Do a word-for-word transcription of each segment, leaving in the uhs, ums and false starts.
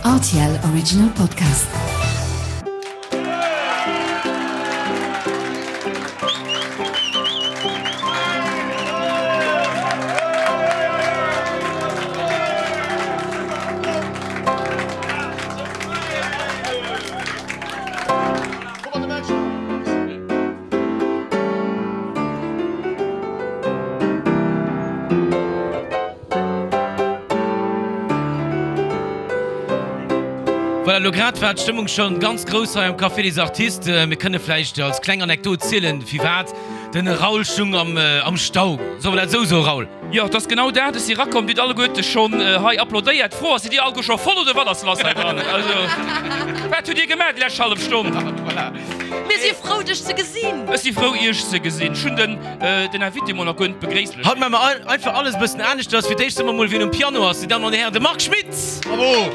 R T L Original Podcast. Voilà, elo grad war d'Stëmmung schonn ganz grouss hei am Café des Artistes. Mir kënne vläicht als kleng Anekdot zielen, firwat den Raoul stung am Stau. Solle mer dat esou soen, Raoul? Jo, et ass genau dat. Ech si rakomm, dir hutt alleguerte schonn hei applaudéiert. D'Fro ass, Sidd dir alleguer scho voll oder wat ass lass hei dran? Also, wat hutt dir gemaach déi lescht hallef Stonn? Mir si frou, dech ze gesinn. Ech si frou, iech ze gesinn. Ech hunn den den Invité mol nach guer net begréisst. Haut maache mer einfach alles e bëssen aneschters. Fir d'éischt soe mer mol, wien um Piano ass, Dir Dammen an Dir Hären, de Marc Schmitz! Bravo!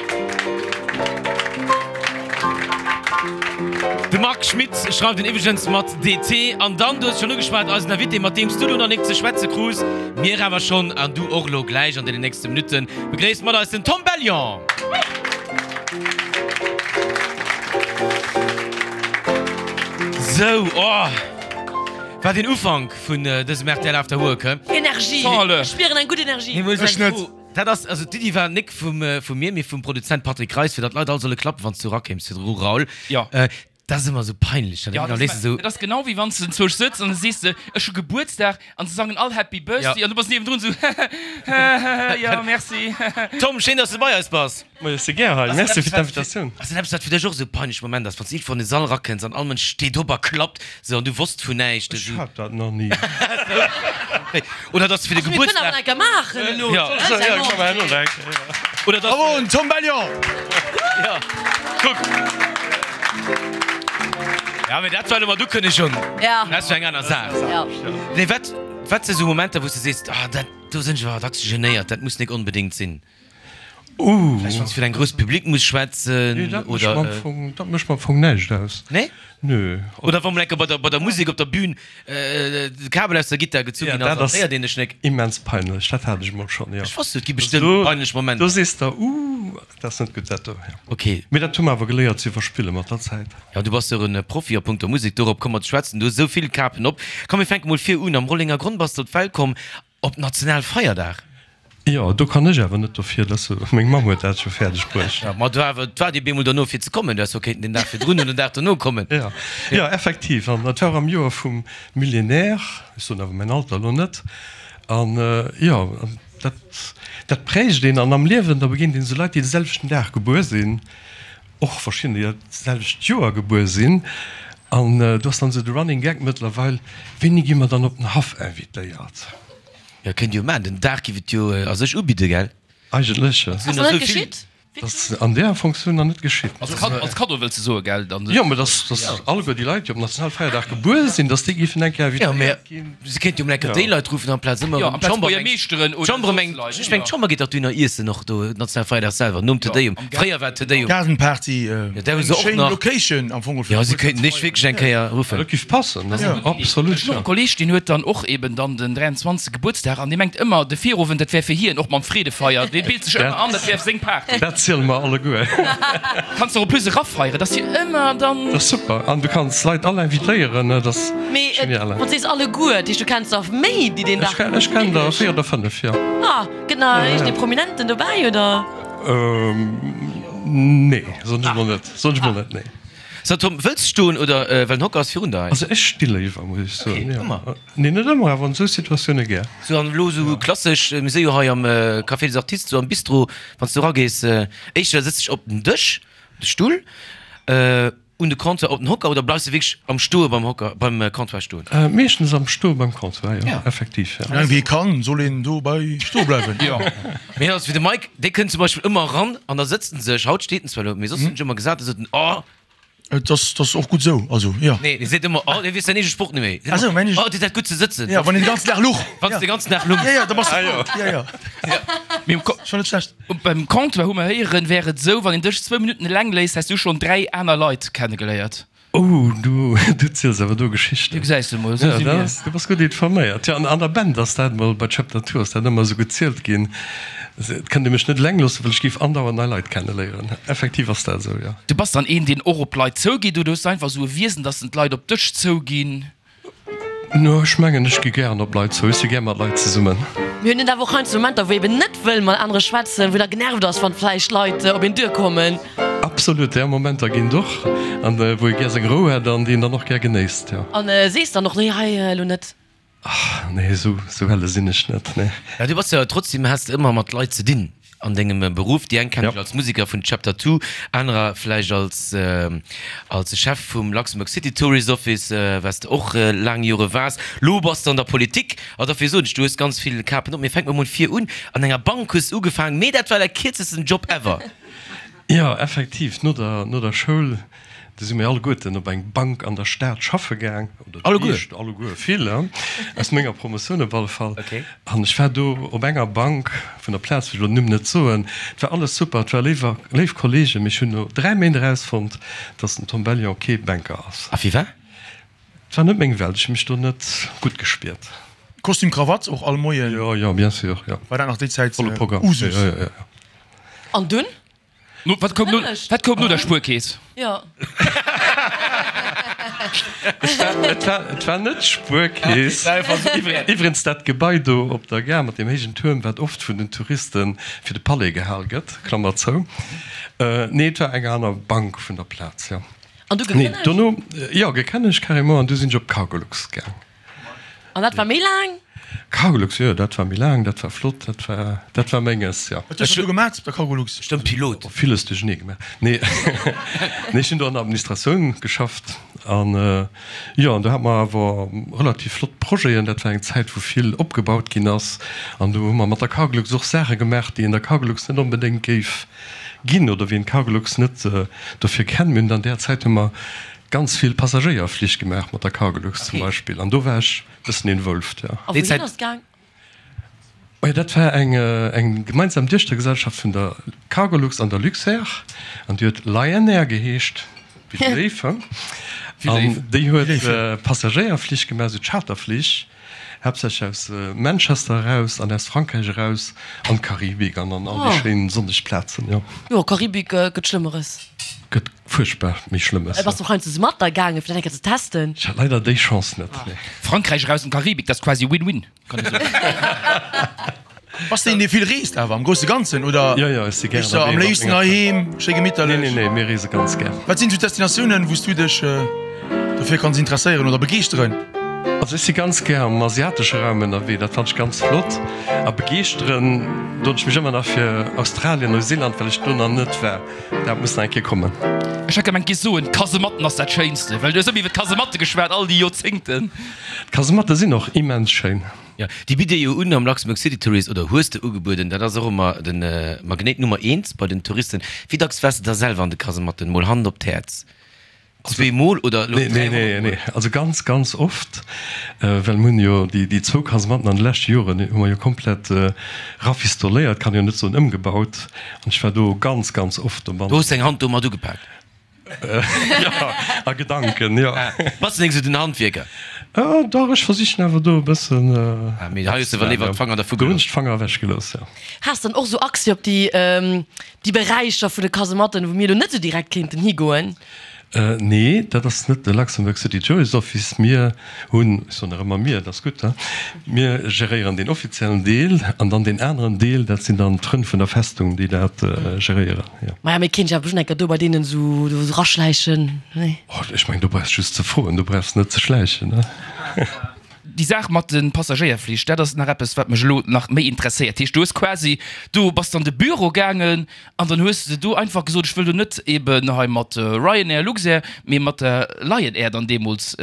De Marc Schmitz schreift en iwwregens mat D T. An dann, du hues schonn ugeschwat, eisen Invité, mat deem s du lo nach nik ze schwätze krus, mir awer schonn, an du och lo gläich an deenen nächste Minutten, begréisst mat eis den Tom Bellion! Sou, oh, wat een Ufank vun dësem R T L After Work, he? Energie! Ech spieren eng gutt Energie. Ech net. Dat ass, also d'Iddi war nik vum, vu mir, mee vum Produzent Patrick Reis, fir datt d'Leit all solle klappen, wann s du erakéims virdru, Raoul. Jo. Dat ass ëmmer esou peinlech, dann Ja, dann lees de esou. Dat ass genau wéi wann s de enzwousch sëtz an da sees de, ech hu Gebuertsdag an se sangen all Happy Birthday an du bass niewendrun esou, hehehehe, jo, merci. Tom, schéin, datt s de bei eis bass. Moie, ech si gär hei. Merci fir d'Invitatioun. Ass dat eppes, wat fir dech och esou peinlech Moment ass, wann s de iergendwou an de Sall erakënns an all Mënsch steet op a klappt esou an du wosst vun näischt? Ech hat dat nach ni. Oder datt s de fir de Mir kënnen awer Gebuertsdag. nach eng Kéier maachen elo. Ja. Oder datt s Bravo, Tom Bellion! Ja, kuck. Ja, mee dat war elo mat Ukënnegung. Ja. Dat ass jo eng aner Saach. Ja. Nee, wat, wat si sou Momenter, wou s de sees, ah, dat, do sinn ech awer dacks genéiert, dat muss nik onbedéngt sinn? Uh. Vläicht wann s de fir eng grouss Public muss schwätzen Nee, dat mécht oder. mer am Fong, dat mécht mer am Fong näischt aus. Nee? Nö. Oder wa mol enke bei der, bei der Musek op der Bühn de Kabel aus der Gittar gezu Ja, ginn dat ass, an ass héiert een dech nik. immens peinlech. Dat hat ech mol schonn, jo. Ech wosst, et gi Also bestëmmt do, peinlech do Momenter. sees de, uh, dat ass net gutt dat do, jo. Okay. Mee dat hu mer awer geléiert ze iwwerspille mat der Zäit. Ja, du bass jo en Profi a punkto Musek, dorop komme mer ze schwätzen. Du hues esou vill Kapen op. Komm, mir fänke mol vir un. Am Rollenger Gronn bass de op d'Welt komm, op Nationalfeierdag. Jo, do kann ech awer net dofir, dass meng Mamm huet dat scho fäerdeg bruecht. Jo, ma du awer, et war dir bemol dono fir ze kommen. Du häss jo kéinten den Dag virdrun oder den Dag dono kommen. Jo, jo, effektiv. An dat war och am Joer vum Millénaire, ech soen awer mäin Alter elo net. An jo, dat, dat prägt een. An am Liewen, da begéint een esou Leit, déi de selwechten Dag gebuer sinn, och verschidden, déi dat selwecht Joer gebuer sinn. An do ass dann esou de Running Gag mëttlerweil, Wéini gi mer dann op den Haff invitéiert? Jo, kéint jo maachen. Den Dag giff et jo a sech ubidden, gell? Eigentlech, jo. Ass nach net geschitt? Dat ass an där Fonctioun nach net geschitt. Als Kaddo wëlls de soen, gell? Jo, mä dass, dass alleguer déi Leit, déi op Nationalfeierdag gebuer sinn, dass déi giffen eng Kéier Jo, mä invitéiert ginn. se kéint jo mol eng Kéier déi Leit ruffen amplaz ëmmer Jo, erëm amplaz d'Chamber. d'Buergermeeschteren oder D'Chamber soss mengt, Leit, ech mengen jo. d'Chamber geet dach dohinner iessen och do, Nationalfeierdag selwer, nom Jo, Te Deum. am Fréier war Te Deum. Gaardenparty, Jo, där hu eng se och schéin nach. Location am Fong. Jo, se kéinten dech wierklech eng Kéier ruffen. Dat giff passen, Dat ass eng gutt Iddi. absolut, Ech hunn och jo. e Kolleeg, deen huet dann och eben dann den dräianzwanzegste Gebuertsdag an dee mengt ëmmer, de Virowend, dat wär fir hien, och mam Freedefeier. Dee bilt sech ëmmer an, dat wär seng Party. Dat ziele mer alleguer. Kanns de och en plus erafeieren, dass hie ëmmer dann. Dat ass super. An du kanns d'Leit all invitéieren, dat ass Mee et, genial. wann s sees alleguer, dat heescht du kenns der méi, déi deen Ech Dag. ken, ech kennen der véier oder fënnef, jo. Ah, gëtt nach iergendee Prominenten dobäi, oder? Nee, soen ech mol net. Soen ech mol net, nee. So Tom, wëlls de stoen oder, well den Hocker ass virun der hei. Also ech sti léiwer, muss ech soen, Okay, jo. ëmmer? Nee, net ëmmer, awer an esou Situatioune gär. Sou an elo sou klassesch, mir si jo hei am Café des Artistes, sou am Bistro, wann s du eragees, éischter sëtz dech op den Dësch, de Stull, un de Comptoir op den Hocker oder bleifs de wierklech am Stoe beim Hocker, beim Comptoir stoen? Meeschtens am Stoe beim Comptoir, jo, effektiv, jo. Soulaang wéi ee kann, soll een dobei stoe bleiwen. Jo. Mee also fir de Mike, dee kënnt zum Beispill ëmmer eran an da sëtzt en sech, haut steet en zwar elo, mee soss hunn ech ëmmer gesat, da sot en, oh, Et ass, dat ass och gutt esou, also jo. Nee, dee seet ëmmer, oh, dee weess säin eege Sproch net méi. Ah sou, mäin eege. Oh, deet dat gutt ze sëtzen. Ja, wann een de ganzen Dag luch. Wann s de ganzen Dag lungs. Ja, ja, da bass de frou. Ja, ja. Mee um Ko. Schon net schlecht. Beim Comptoir hu mer héieren, wär et esou, wann een dech zwou Minutten eleng léisst, häss du schonn dräi aner Leit kennegeléiert. Oh, du, du ziels awer do Geschichten. Du gesäis de mol, esou Ja, si dat mir. ass, du bass gutt informéiert. Jo, an an der Band ass dat mol, bei Chapter Two ass dat ëmmer esou gezielt ginn, Et kënnt ee mech net eleng loossen, well ech géif andauernd nei Leit kenneléieren. Effektiv ass dat esou, jo. Du bass dann een, deen och op Leit zougeet, oder hues du einfach esou e Wiesen, dass en d'Leit op dech zouginn? No, ech mengen, ech gi gären op Leit zou. Ech si gär mat Leit zesummen. Mir hunn et awer och heiansdo Momenter, wou ee eben net wëll mat anere schwätzen, wou een da genervt ass, wann vläicht Leit op een duerkommen. Absolut, där Momenter ginn et och, an wou ee gär seng Rou hätt an déi een dann och gär genéisst, jo. An sees dann och, nee, hei elo net? Nee, esou helle sinn ech net, nee. Mä du bass jo trotzdem, has de ëmmer mat Leit ze dinn an dengem Beruff. Déi eng kennen dech als Museker vun Chapter Two, anerer vläicht als als Chef vum Luxembourg City Tourist Office, wat s de och laang Jore waars. Lo bass de an der Politik. A dofir soen ech, du hues ganz vill Kapen op. Mee fänke mer mol vir un, An enger Bank hues de ugefaangen, mee dat war däi kierzesten Job ever. Jo, effektiv, no der no der Schoul, du si mir alleguerten op eng Bank an der Stad schaffe gaang, oder déi meescht, alleguer, vill, aus menger Promotioun op alle Fall. An ech war do op enger Bank, vun der Plaz wëll ech elo den Numm net soen, et war alles super, et war léiwer, léif Kollegen, mee ech hunn no dräi Méint erausfonnt, dass den Tom Bellion kee Banker ass. A firwat? Et war net meng Welt, ech hu mech do net gutt gespiert. Kostüm, Krawatt och all Moien? Jo, jo, bien sûr, jo. War dat nach déi Zäit Volle Programm, Usus? jo, jo, jo. An dunn? No, wat koum no, wat koum no der Spuerkeess? Jo. Et war, et war net d'Spuerkeess. Iwwregens dat Gebai do op der Gare mat deem héijen Tuerm, wat oft vun den Touriste fir de Palais gehal gëtt, Klammer zou. Nee, et war eng aner Bank vun der Plaz, jo. An du Nee, gekënnegt? dono, jo, gekënnegt carrément, an du sinn ech op Cargolux gaang. An dat war méi laang? Cargolux, jo, dat war méi laang, dat war flott, dat war, dat war menges, jo. Wat hues du do gemaat op der Cargolux? Stëmmt, Pilot. Oh, villes duerchenee gemaach. Nee, nee, ech hunn do an der Administratioun geschafft an, jo, an do hate mer awer relativ flott Projeten. Dat war eng Zäit, wou vill opgebaut ginn ass an do hu mer mat der Cargolux och Saache gemaach, déi een der Cargolux net onbedéngt géif ginn oder wéi een d'Cargolux net dofir kennt. Mir hunn an där Zäit hu mer ganz vill Passagéierflich gemaach mat der Cargolux zum Beispill an do war ech bëssen involved, jo. A wouhin ass et gaang? Majo, dat war eng eng gemeinsam Duechtergesellschaft vun der Cargolux an der Luxair an déi huet Lionair geheescht, wéi de Léiw, he? An déi huet Passagéierflich gemaach, esou Charterflich, haaptsächlech aus Manchester eraus an aus Frankräich eraus an d'Karibik an an all déi schéin sonneg Plazen, jo. Jo, Karibik gëtt Schlëmmeres. Gëtt fuerchtbar méi Schlëmmes. Bass du och heiansdo mat da gaangen, fir dat eng Kéier ze testen? Ech hat leider déi Chance net, nee. Frankräich eraus an d'Karibik, dat ass quasi Win-Win, kann ee soen. Bass de een, dee vill reest awer am grousse Ganzen, oder Jo, jo, ech si gär bist de am ënnerwee mat léifsten menger Fra. heiheem, schéi gemitterlech? Nee, nee, nee, mir reese ganz gär. Wat sinn esou Destinatiounen, wou s du dech dofir kanns interesséieren oder begeeschteren? Also ech si ganz gär am asiatesche Raum ënnerwee, dat fannen ech ganz flott. A begeeschteren doen ech mech ëmmer nach fir Australien, Neuseeland, well ech do nach net war. Dat muss nach eng Kéier kommen. Ech hat gemengt, giss soen, d'Kasematten ass dat Schéinste, well du hues ëmmer iwwer d'Kasematte geschwat, all déi Joerzéngten. D'Kasematte sinn och immens schéin. Jo, déi bitt Dir jo un am Luxembourg City Tourist, oder hues de ugebueden. Dat ass och ëmmer de Magnéit Nummer eent bei den Touristen. Wéi dacks waars de da selwer an de Kasematten? Mol Hand op d'Häerz. Zwee Mol oder elo Nee, nee, nee, nee. Also ganz, ganz oft, well mir hunn jo déi, déi zwou Kasematten an de leschte Joren hu mer jo komplett rafistoléiert, kann jo net soen ëmgebaut, an ech war do ganz, ganz oft dobanne. Du hues deng Hand do mat ugepak? Jo, a Gedanken, jo. Bass de eng sou den Handwierker? Dach, ech versichen awer do e bëssen. Ah, mee hei hues de awer léiwer d'Fanger dervu Do hunn gelooss. ech d'Fanger ewechgelooss, jo. Has dann och sou Accès op déi, déi Beräicher vun de Kasematten, wou mir elo net sou direkt kéinten higoen? Nee, dat ass net de Luxembourg City Tourist Office. Mir hunn, ech soen nach ëmmer mir, dat ass gutt, he, mir geréieren deen offiziellen Deel an dann deen aneren Deel, dat sinn dann d'Frënn vun der Festung, déi dat geréieren, jo. Maja, mee kéint ech awer bestimmt eng Kéier do bei deenen esou do esou raschläichen, nee? Oh, ech mengen, do brauchs just ze froen, do brauchs net ze schläichen, he. Déi Saach mat de Passagéierflich, dat ass nach eppes, wat mech elo nach méi interesséiert. Heescht, du hues quasi, du bass an de Büro gaangen an dann hues de do einfach gesot, ech wëll do net eben hei mat Ryanair, Luxair, mee mat der Lion Air dann deemools.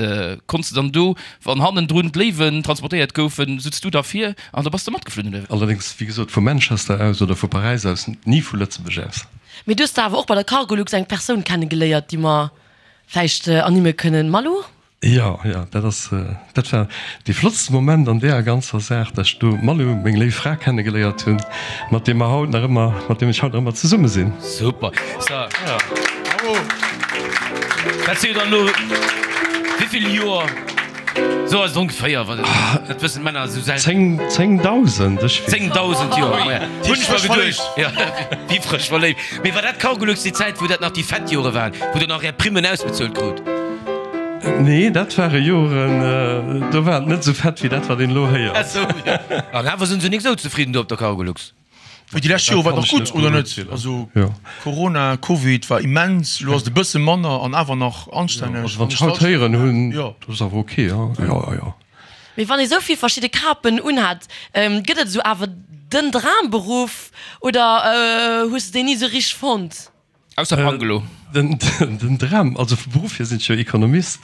Konns de dann do, wann hannendrun d'Léiwen transportéiert goufen, sutz du da vir an da bass de matgeflunn, oder wéi? Allerdéngs, wéi gesot, vu Manchester aus oder vu Paräis aus, ni vu Lëtzebuerg aus. Mee du hues da awer och bei der Cargolux eng Persoun kennegeléiert, déi mer vläicht ernimme kënnen, Malou? Jo, jo, dat ass, dat war dee flottste Moment an deeër ganzer Saach, dass ech do d'Malou, meng léif Fra, kennegeléiert hunn, mat deem mer haut nach ëmmer, mat deem ech haut nach ëmmer zesumme sinn. Super! So, dat si jo dann elo wéivill Joer? Sou ass et ongeféier, wa dat wëssen d'Männer esou selten. Zéng, zéngdausend, ech weess. Zéngdausend Joer, ma ja, hunn ech mer geduecht. Ja, wéi frësch verléift. Mee war dat Cargolux déi Zäit, wou dat nach déi fett Jore waren, wou der nach är Primmen ausbezuelt krut? Nee, dat ware Joren, do war et net esou fett wéi dat, wat een elo héiert. Ah sou, jo. An awer sinn se nik esou zefridden do op der Cargolux. Mee déi lescht Jore war et nach gutt, oder net? Also Corona, Covid war immens, elo ass et e bësse manner an awer nach anstänneg. Also wann ech haut héieren hunn, dat ass awer ok, jo, jo, jo. Mee wann ee sou vill verschidde Kapen unhat, gëtt et esou awer den Dramberuff oder hues de deen ni sou richteg fonnt? Ausser Pangelo. Den Dram, also vu Beruff hier sinn ech jo Ekonomist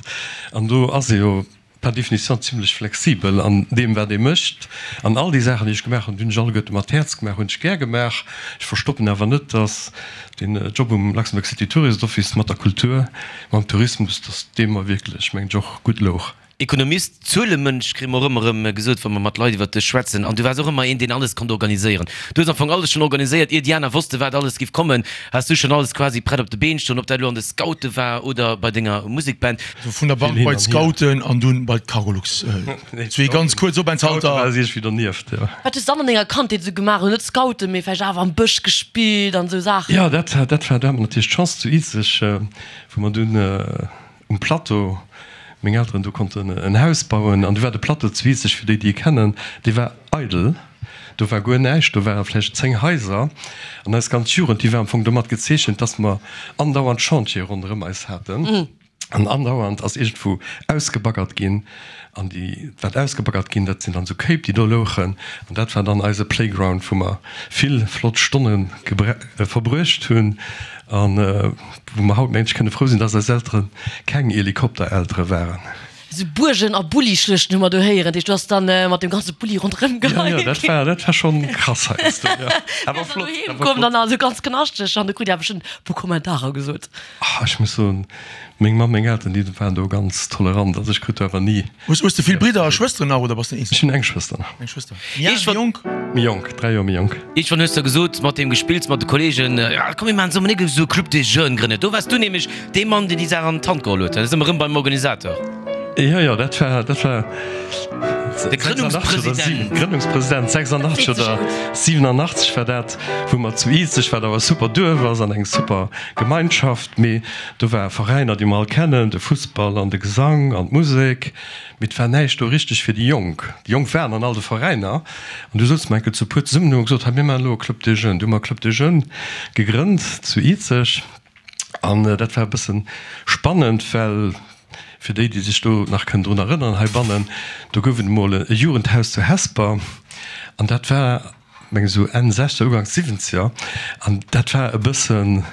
an do ass ee jo par définition zimlech flexibel an deem wat ee mécht. An all déi Saachen déi ech gemaach hunn, déi hunn ech alleguerte mat Häerz gemaach, hunn ech gär gemaach. Ech verstoppen awer net, datt deen Job um Luxembourg City Tourist Office mat der Kultur, mam Tourismus, datt dee mer wierklech, mengen ech, och gutt louch. Ekonomist, Zuelemënsch kréie mer och ëmmer erëm gesot, wa mer mat Leit iwwer dech schwätzen. An du waars och ëmmer een, deen alles konnt organiséieren. Du hues am Fong alles schonn organiséiert, ier déi aner wosste wat alles giff kommen, has du schonn alles quasi prett op de Been stoen, ob dat elo an de Scoute war oder bei denger Musekband. Also vun der Bank Vill hin bei an hier. d'Scouten an dunn bei d'Cargolux. Zwee ganz kuerz Scoute Openthalter. war iergendwéi dernieft, jo. Wat hues du dann an denger Kandheet esou gemaach? Elo net Scouten, mee vläicht awer am Bësch gespillt an esou Saachen? Jo, dat war, dat war, do hat mer natierlech d'Chance zu Izeg, wou mer dunn, Um Plateau, meng Elteren do konnten en Haus bauen an du war de Plateau zu Izeg, fir déi déi e kennen, dee war eidel, do war guer näischt, do ware vläicht zéng Haiser an eis ganz Jugend, déi war am Fong domat gezeechent, dass mer andauernd Chantiere ronderëm eis haten an andauernd ass iergendwou ausgebaggert ginn an déi wat ausgebaggert ginn, dat sinn dann esou Kéip déi do louchen an dat war dann eise Playground, wou mer vill flott Stonne verbruecht hunn. An wou mer haut, mengen ech, kënne frou sinn, dass eis Eltere keng Helikoptereltere waren. Esou Buergen a Bullischluechten hu mer do héieren. Dat heescht, du has dann mat dem ganze Bulli ronderëm geheit. Jo, jo, dat war, dat war schonn krass heiansdo, jo. Awer flott, awer flott. Dann also ganz knaschteg an du krut Dir awer schonn e puer Kommentarer gesot. Ah, ech muss soen, meng Mamm, meng Elteren, déi waren do ganz tolerant. Also ech krut do awer ni. Hues, hues de vill Bridder a Schwësteren nach oder bass de den Eenzegen? Ech hunn eng Schwëster nach. Eng Schwëster. Méi al, méi jonk? Méi jonk, dräi Joer méi jonk. Iergendwann hues de gesot, mat deem Gespills mat de Kollegen, ja komm mir maachen zesummen e esou e Club des Jeunes grënnen. Do waars du nämlech dee Mann, deen déi Saach an d'Hand geholl huet. Dat ass ëmmer erëm beim Organisateur. Jo, jo, dat war, dat war De Grënnungspresident. Grënnungspresident, sechsundachtzeg oder siewenundachtzeg war dat, wou mer zu Izeg, wat awer e super Duerf ass an eng super Gemeinschaft, mee do ware Veräiner, déi mer all kennen, de Fussball an de Gesang an d'Musek, Mee et war näischt do richteg fir déi Jonk. Déi Jonk waren an all de Veräiner. An du souze mer enke zu puer zesummen an hu gesot, hei mir maachen elo e Club des Jeunes. Du hu mer e Club des Jeunes gegrënnt zu Izeg. An dat war e bësse spannend, well fir déi, déi sech do nach kënnen drun erënneren heibannen, do gouf et emol e Jugendhaus zu Hesper. An dat war, meng ech, esou Enn Sechzeger, Uganks Siwwenzeger. An dat war e bëssen.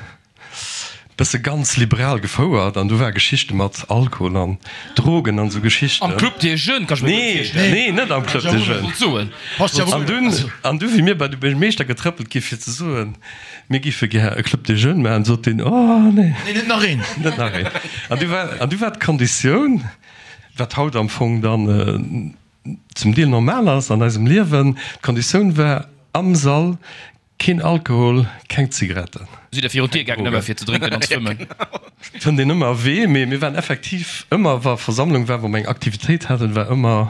Bësse ganz liberal gefouert an do war Geschichte mat Alkohol an Drogen an sou Geschichten. Am Club des Jeunes kann ech mir gutt virstellen. Nee, nee, net am Club des Jeunes. An dunn, an du wéi mir bei de Buergermeeschter getrëppelt gi fir ze soen, mir giffe gär e Club des Jeunes maachen, sot deen, oh nee. Nee, net nach een. Net nach een. An du war, an du war d'Konditioun, wat haut am Fong dann zum Deel normal ass an eisem Liewen, d'Konditioun war am Sall Keen Alkohol, keng Zigaretten. Sidd der virun d'Dier gaangen ëmmer fir ze drénken an ze fëmmen? Fënnt een ëmmer e Wee, mee mir waren effektiv ëmmer, wa Versammlung war, wou mer eng Aktivitéit haten, war ëmmer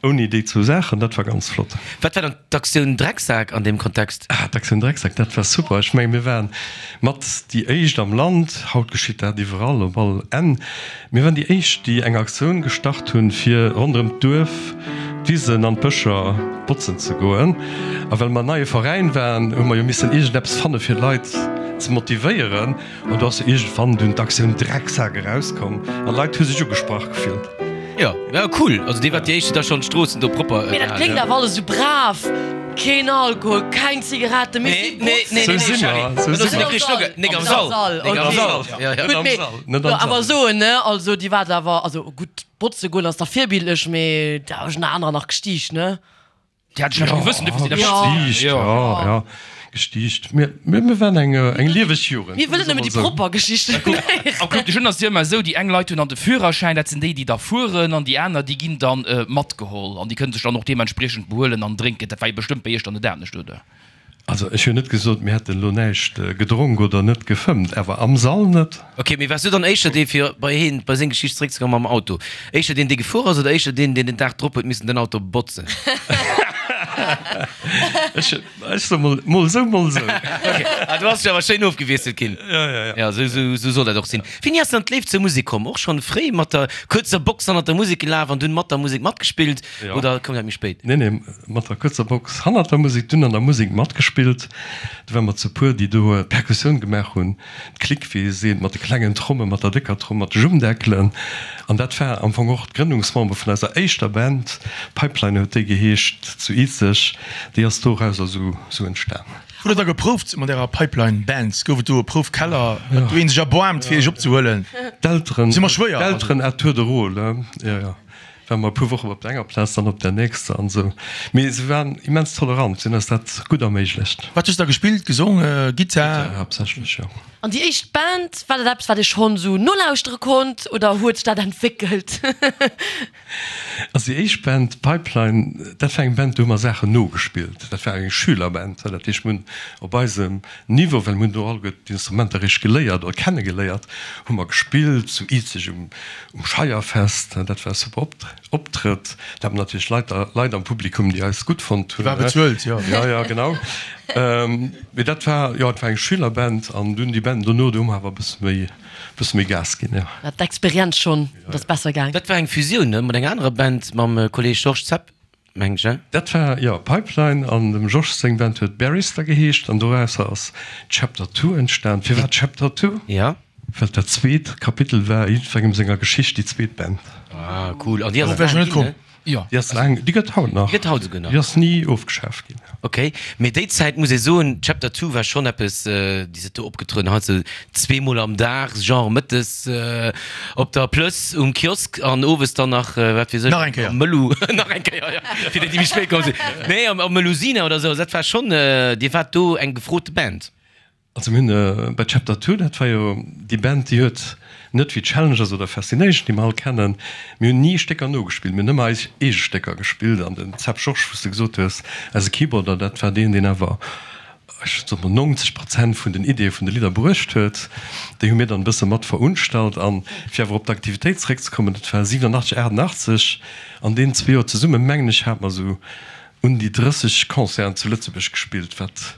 ouni déi zwou Saachen. Dat war ganz flott. Wat war dann d'Aktioun Drecksak an deem Kontext? Ah, d'Aktioun Drecksak, dat war super. Ech menge mir waren mat déi éischt am Land, haut geschitt dat iwwerall op all Enn, Mir waren déi éischt, déi eng Aktioun gestart hunn, fir ronderëm d'Duerf d'Wisen an d'Bëscher botzen ze goen. A well mer en neie Veräin waren, hu mer jo missen iergendeppes fanne fir d'Leit ze motivéieren. An do ass jo iergendwann dunn d'Aktioun Drecksak erauskomm an d'Leit hu sech ugesprach gefillt. Jo, ja cool. Also dir waart déi éischt, déi da schonn d'Stroossen do propper Mee dat gehalen kléngt hunn. awer alles esou brav. Keen Alkohol, keng Zigaretten, mee si Nee, nee, botzen. nee, Sou nee, si Charly, mer, sou dat si ass mer. nik richteg. Nik am Sall, nik am Sall. Ja, ja. Gutt, mee Net am jo, awer Sall. soen, ne, also déi waart awer, also gutt, botze goen ass da virbildlech, mee da hu ech nach anerer nach gestiicht, ne? Déi hat ech nach gewëssen, dofir si der Gestiicht, Ja. ja, ja, gestiicht. Mir, mir, mir waren eng, eng lieweg Jugend. Mir wëllen nëmmen déi propper Geschichten héieren. Am Club des Jeunes ass et jo ëmmer esou, déi eng Leit hunn dann de Führerschäin, dat sinn déi, déi da fueren, an déi aner, déi ginn dann matgeholl an déi kënne sech dann och deementspriechend behuelen an drénken. Dat war jo bestëmmt bei iech dann net anescht, oder? Also ech hunn net gesot, mir hätten elo näischt gedronk oder net gefëmmt, awer am Sall net. Ok, mee waars du dann éischter dee, fir bei heen, bei seng Geschicht zeréckzekommen mam Auto, éischter deen, dee gefuer ass oder éischter deen, deen den Dag drop huet missen den Auto botzen? Ech, ech soe mol, mol esou, mol esou. Ok, ah du has dech awer schéin ofgewiesselt ginn. Ja, ja, ja. Ja, esou, esou, esou soll dat och sinn. Wéini ass dann d'Léift zur Musek komm? Och schonn fréi mat der kuerzer Box hannert der Musek gelaf an dunn mat der Musek matgespillt oder koum dat méi spéit? Nee, nee, mat der kuerzer Box hannert der Musek, dunn an der Musek matgespillt. Do ware mer zu puer, déi do d'Perkussioun gemaach hunn, d'Clique, wéi ee seet, mat de klengen Tromme, mat der décker Tromm, mat de Jummdeckelen. An dat war am Fong och d'Grënnungsmember vun eiser éischter Band, Pipeline huet déi geheescht, zu Izeg. Déi ass dorauser sou entstan. Hutt der da geprouft mat ärer Pipeline Band? Gouf et do e Proufkeller, huet do een sech erboarmt fir iech opzehuelen? D'Elteren, Si mer schwéier, also. d'Elteren à tour de rôle, jo, jo. Ware mer e puer Wochen op der enger Plaz, dann op der nächster an esou. Mee se waren immens tolerant, se hunn eis dat gutt erméiglecht. Wat hues de da gespillt? Gesongen, Gittar? Gittar haaptsächlech, jo. An déi éischt Band, war dat eppes, wat ee schonn esou nolauschtere konnt oder huet sech dat entwéckelt? Also déi éischt Band, Pipeline, dat war eng Band, do hu mer Saachen nogespillt. Dat war eng Schülerband, dat heescht, mir hunn op eisem Niveau, well mir hunn do alleguer d'Instrumenter eréischt geléiert oder kennegeléiert, hu mer gespillt zu Izeg um Scheierfest. Dat war e super Optrëtt. Da haten natierlech Leit, Leit am Publikum, déi eis gutt fonnt hunn. Déi war bezuelt, jo. Jo, jo, genau. Mee dat war, jo, et war eng Schülerband an dunn déi Banden dono, do hu mer awer e bësse méi, e bësse méi Gas ginn, jo. War d'Experienz schonn, et ass besser gaang. Dat war eng Fusioun, ne, mat enger anerer Band, mam Kolleeg Georges Zepp, mengen ech, ne? Dat war, jo, Pipeline an dem Georges seng Band huet Barrister geheescht an dorausser ass Chapter Two entstan. Firwat Chapter Two? Jo. Well dat zweet Kapitel war jiddwerengem senger Geschicht déi zweet Band. Ah cool, an déi ass Dorop wär ech laang net ginn, ne? komm. Jo. Déi ass laang, déi gëtt haut nach. Déi gëtt haut esouguer nach. Déi ass ni ofgeschaaft ginn. Ok, mee déi Zäit muss ee soen, Chapter Two war schonn eppes, déi se do opgetrueden hat, sou zweemol am Dag, genre mëttes op der Plëss um Kiosk an owes dann nach, wat weess ech, Nach eng Kéier. am Mëllu, nach eng Kéier, jo, fir déi, déi méi spéit komm sinn, nee, am Melusina oder sou, dat war schonn, Dir waart do eng gefrote Band. Also mir hunn bei Chapter Two, dat war jo déi Band, déi huet net wéi Challengers oder Fascination, déi mer all kennen, mir hunn ni Stécker nogespillt, mir hunn ëmmer eis eege Stécker gespillt. An den Zep Georges, wou s de gesot hues, eise Keyboarder, dat war deen, deen awer, ech soe mol, neunzeg Prozent vun den Ideeë vun de Lidder bruecht huet. Déi hu mir dann e bësse mat verunstallt. An fir awer op d'Aktivitéit zeréckzekommen, dat war siwenunachtzeg, achtundachtzeg, an deenen zwee Joer zesumme mengen ech, hate mer esou un déi drësseg Concerten zu Lëtzebuerg gespillt, wat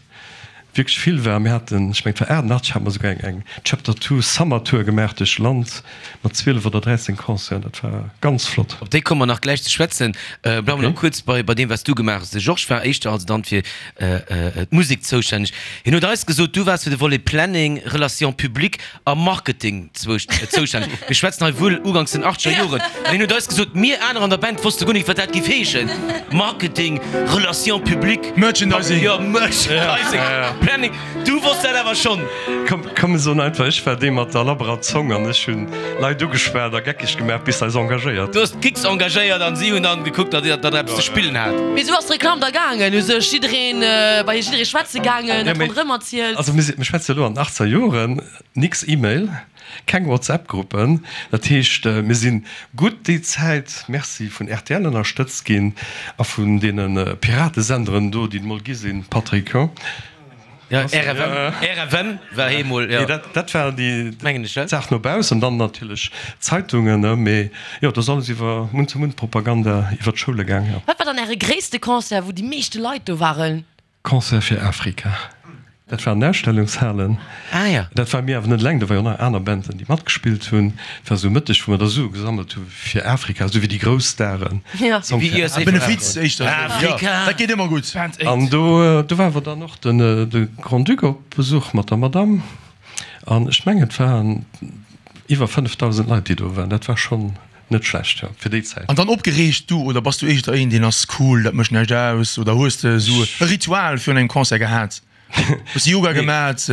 wierklech vill war. Mir haten, ech mengen et war achtundachtzeg, hate mer esouguer eng eng Chapter Two Summer Tour gemaach duerch Land mat zwielef oder dräizéng Concerten. Dat war ganz flott. Op déi komme mer nach gläich ze schwätzen. Bleiwe mer nach kuerz bei bei deem, wat s du gemaach hues. De Georges war éischter also dann fir d'Musek zoustänneg. Hien huet eis gesot, du waars fir de Volet Planning, Relations publiques a Marketing zoustänneg. Mir schwätzen hei wuel uganks den achtzeger Joren. An hien huet eis gesot, mir aner an der Band wosste guer net, wat dat géif heeschen, Marketing, Relations publiques, Merchandising. Jo, Merchandising, Planning. Du wosst dat awer schonn. Komm, komm, mir soen einfach, ech war dee mat der labberer Zong an ech hunn Leit ugeschwat a geckeg gemaach, bis se eis engagéiert. Du hues d'Gigs engagéiert an si hunn dann gekuckt, datt der eppes ze spillen hat. Mee sou ass d'Reklamm da gaangen, u sech jiddereen bei jidderee schwätze gaangen, dat ronderëm erzielt. Also mir schwätze elo an den achtzeger Joren, nix E-Mail, keng WhatsApp-Gruppen. Dat heescht, mir si gutt déi Zäit, merci, vun rtl ënnerstëtzt ginn a vun deene Piratesenderen do, déi et mol gi sinn, Patrick, jo? Ja, RFM, RFM war eemol, jo. Nee, dat war déi Mengen ech, Saach no baussen, dann natierlech d'Zeitungen, ne? Mee jo, dat ass alles iwwer Mund-zu-Mund-Propaganda iwwer d'Schoule gaang, jo. Wat war dann Äre gréisste Concert, wou déi meeschte Leit do waren? Concert fir Afrika. Dat war an den Ausstellungshalen. Ah ja. Dat ware mir awer net eleng, do ware jo nach aner Banden, déi matgespillt hunn. Et war esou Mëtteg, wou mer da Sue gesammelt hu fir Afrika, esou wéi déi grouss Staren. Ja. Song Wéi fir U S A Afrika. Benefiz éischter esou, jo, dat geet ëmmer gutt. Band Aid. An do, do war awer dann och den, de Grand-Duc op Besuch mat der Madame. An ech mengen, et waren iwwer fënnefdausend Leit, déi do waren. Dat war schonn net schlecht, jo, fir déi Zäit. An dann opgereegt du oder bass du éischter een, deen ass cool, dat mécht näischt aus? Oder hues de esou e Ritual virun engem Concert gehat? Hues de Yoga gemat?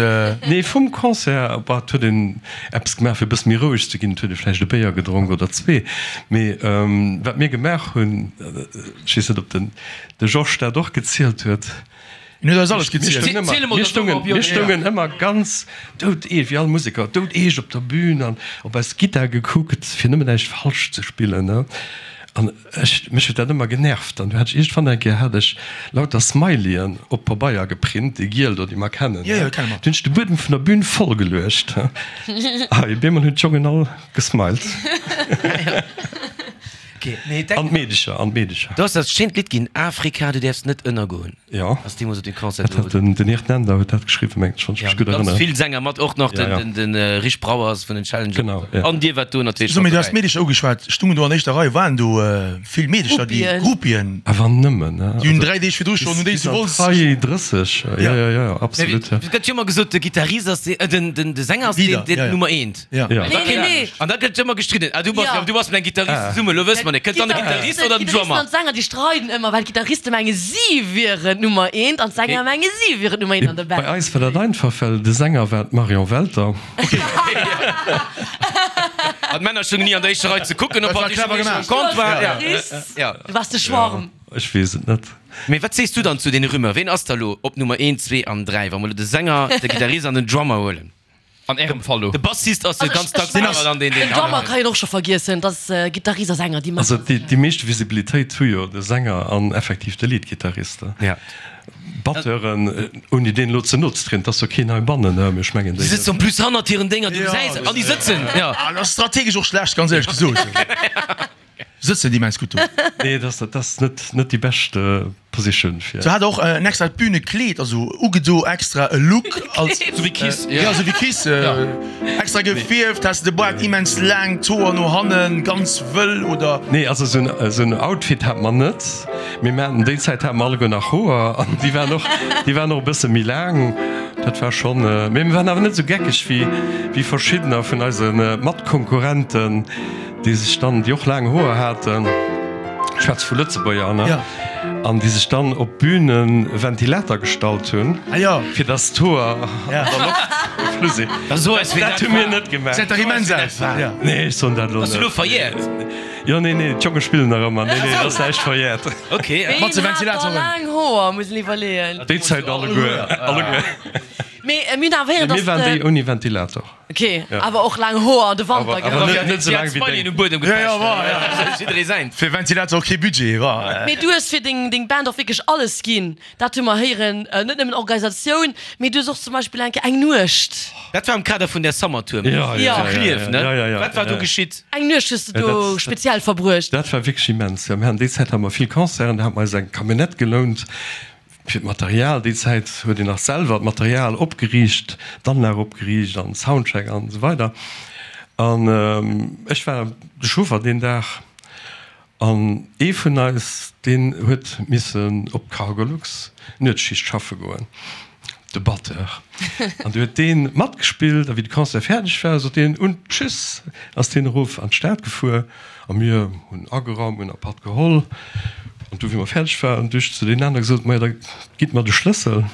Nee, vum Concert, bah, et huet een eppes gemaach fir e bësse méi roueg ze ginn, et huet ee vläicht e Béier gedronk oder zwee. Mee wat mir gemaach hunn, ech weess net ob den de Georges dat och gezielt huet, Hien huet eis alles gezielt. Mir stoungen, mir stoungen ëmmer ganz doudeescht, wéi all Museker, doudeescht op der Bühn an op eis Gittar gekuckt, fir nëmmen näischt falsch ze spillen, ne. An ech, mech huet dat ëmmer genervt. An du hat ech iergendwann eng Kéier hat ech lauter Smileyen op Pabeier geprint, déi giel do, déi mer kennen, Jo, jo, kenne mer. Du hunn ech de Buedem vun der Bühn voll geluecht. Hei, op eemol hunn d'Jongen all gesmiled. An d'Meedecher, an d'Meedecher. Do ass dat schéint Lidd ginn, Afrika, du däerfs net ënnergoen. Jo. Ass deemools op deem Concert Dat hat den, den Hirt Nender huet dat geschriwwen, mengen ech, wann ech mech gutt Ganz erënneren. vill Sänger mat, och nach Ja, ja. den, den, den Rich Brauers vun den Challengers. Genau, ja. An dir waart do natierlech So, mee mat du has dobäi. d'Meedecher ugeschwat. Stungen do an éischter Rei, waren do vill Meedecher, déi Groupien. Groupien. Awer nëmmen, ne? Déi hunn dräi Deeg virdru schonn, hunn déi Bis zu an Wolz. d'Rei drësseg, jo, jo, jo, absolut, ja. Et gëtt jo ëmmer gesot, de Gittarist ass dee, den, den, de Sänger ass deen, Leader, deen ja, ja. Nummer eent. Ja. Ja. An Nee, da nee, nee. An da gëtt ëmmer gestridden, ah, du bass, Ja. du bass mat engem Gittarist Ah. zesummen, elo wësse mer net, kënnt dann de Gittarist oder den D'Gittaristen Drummer? an d'Sänger, déi streiden ëmmer, well d'Gittariste menge si wieren d'Nummer eent an d'Sänger Okay. menge si wieren d'Nummer eent an der Bei Band. eis war dat einfach, well de Sänger war d'Marion Welter. An d'Männer stungen ni an der éischter Rei ze kucken, ob Dat war hatt clever um gemaach. Comptoir. Ja. Gittarist, Ja. du waars de Schwarm. Ech weess et net. Mee wat sees du dann zu deene Rumeur? Ween ass da lo op Nummer eent, zwee an dräi, wa mer lo de Sänger, de Gittarist an den Drummer huelen? An ärem Fall lo. De Bassist ass jo Also ganz ech- dacks ech awer dann deen, Den deen Drummer kann een och scho vergiessen, dat ass Gittarist a Sänger, déi maachen. Also déi, déi meescht Visibilitéit hu jo de Sänger an effektiv de Leadgittarist. Ja. Batteuren, ouni deenen elo ze no ze trieden, et ass jo keen heibannen, mee ech mengen Déi déi. sëtzen en plus hannert hiren Dénger, du gesäis, an déi sëtzen, ja. Ah, dat ass strategesch och schlecht, ganz éierlech gesot. Sëtzen déi immens gutt do. Nee, dat ass, dat ass net, net déi bescht Position fir. Se hat och en extra Bühnekleed, also ugedo, extra e Look als. Sou wéi Kiss, ja. Ja, sou wéi Kiss, extra gefierft, has de Baart immens laang, d'Hoer no hannen, ganz wëll oder. Nee, also sou en, sou en Outfit hat mer net, mee mir haten, déi Zäit hate mer alleguer nach Hoer an déi waren och, déi waren och e bësse méi laang. Dat war schonn, mee mir waren awer net sou geckeg wéi, wéi verschiddener vun eise Matkonkurrenten, déi sech dann, déi och laang Hoer haten, ech schwätze vu Lëtzebuerger, ne? Ja. An déi sech dann op d'Bühn e Ventilater gestallt hunn, Ah ja. fir dass d'Hoer an Ja. der Loft geflu sinn. Da so eis, wéi Dat dat hu mir war. net gemaach. Gesäit dach immens aus. Ja. Nee, ech soen dat elo Ass elo net. verjährt? Jo, nee, nee, d'Jonge spillen nach ëmmer. Nee, nee, dat ass näischt verjährt. Okay. Ween Mat de hat da Ventilatoren. laang Hoer, muss een iwwerleeën. Déi Zäit alleguer, alleguer. Mee mir hunn awer héieren, Mir dass waren de. déi ouni Ventilator. Ok, awer och laang Hoer an de Wanter, Awer, gell? awer net, net sou laang wéi Smiley deng. um Buedem Ja, ja, gepecht. war, ja. Jidderee säint. Fir Ventilator och kee Budget, war. Mee du hues fir deng, deng Band och wierklech alles ginn. Dat hu mer héieren, net nëmmen Organisatioun, mee du hues och zum Beispill eng Kéier eng Nuecht. Dat war am Kader vun der Summer Tour. Ja, ja, Ja. ja, Zu Klierf, ne? ja, ja, ja, Wat war ja, do ja. geschitt? Eng Nuecht hues du Ja, do dat, speziell verbruecht. dat war wierklech immens. Ja, mir haten déi Zäit hate mer vill Concerten, da hate mer eis eng Camionnette gelount fir d'Material. Déi Zäit huet een nach selwer d'Material opgeriicht, d'Anlag opgeriicht an Soundcheck an esou weider. An ech war de Chauffer deen Dag an ee vun eis, deen huet missen op d'Cargolux Nuetsschicht schaffe goen, de Batteur. An du huet dee matgespillt a wéi de Concert fäerdeg war, sot deen, Und tschüss, ass deen erof an d'Stad gefuer a mir hunn ageraumt, hunn e Patt geholl. An du wéi mer fäerdeg waren, du ech zu deenen anere gesot, Majo, da gitt mer de Schlëssel.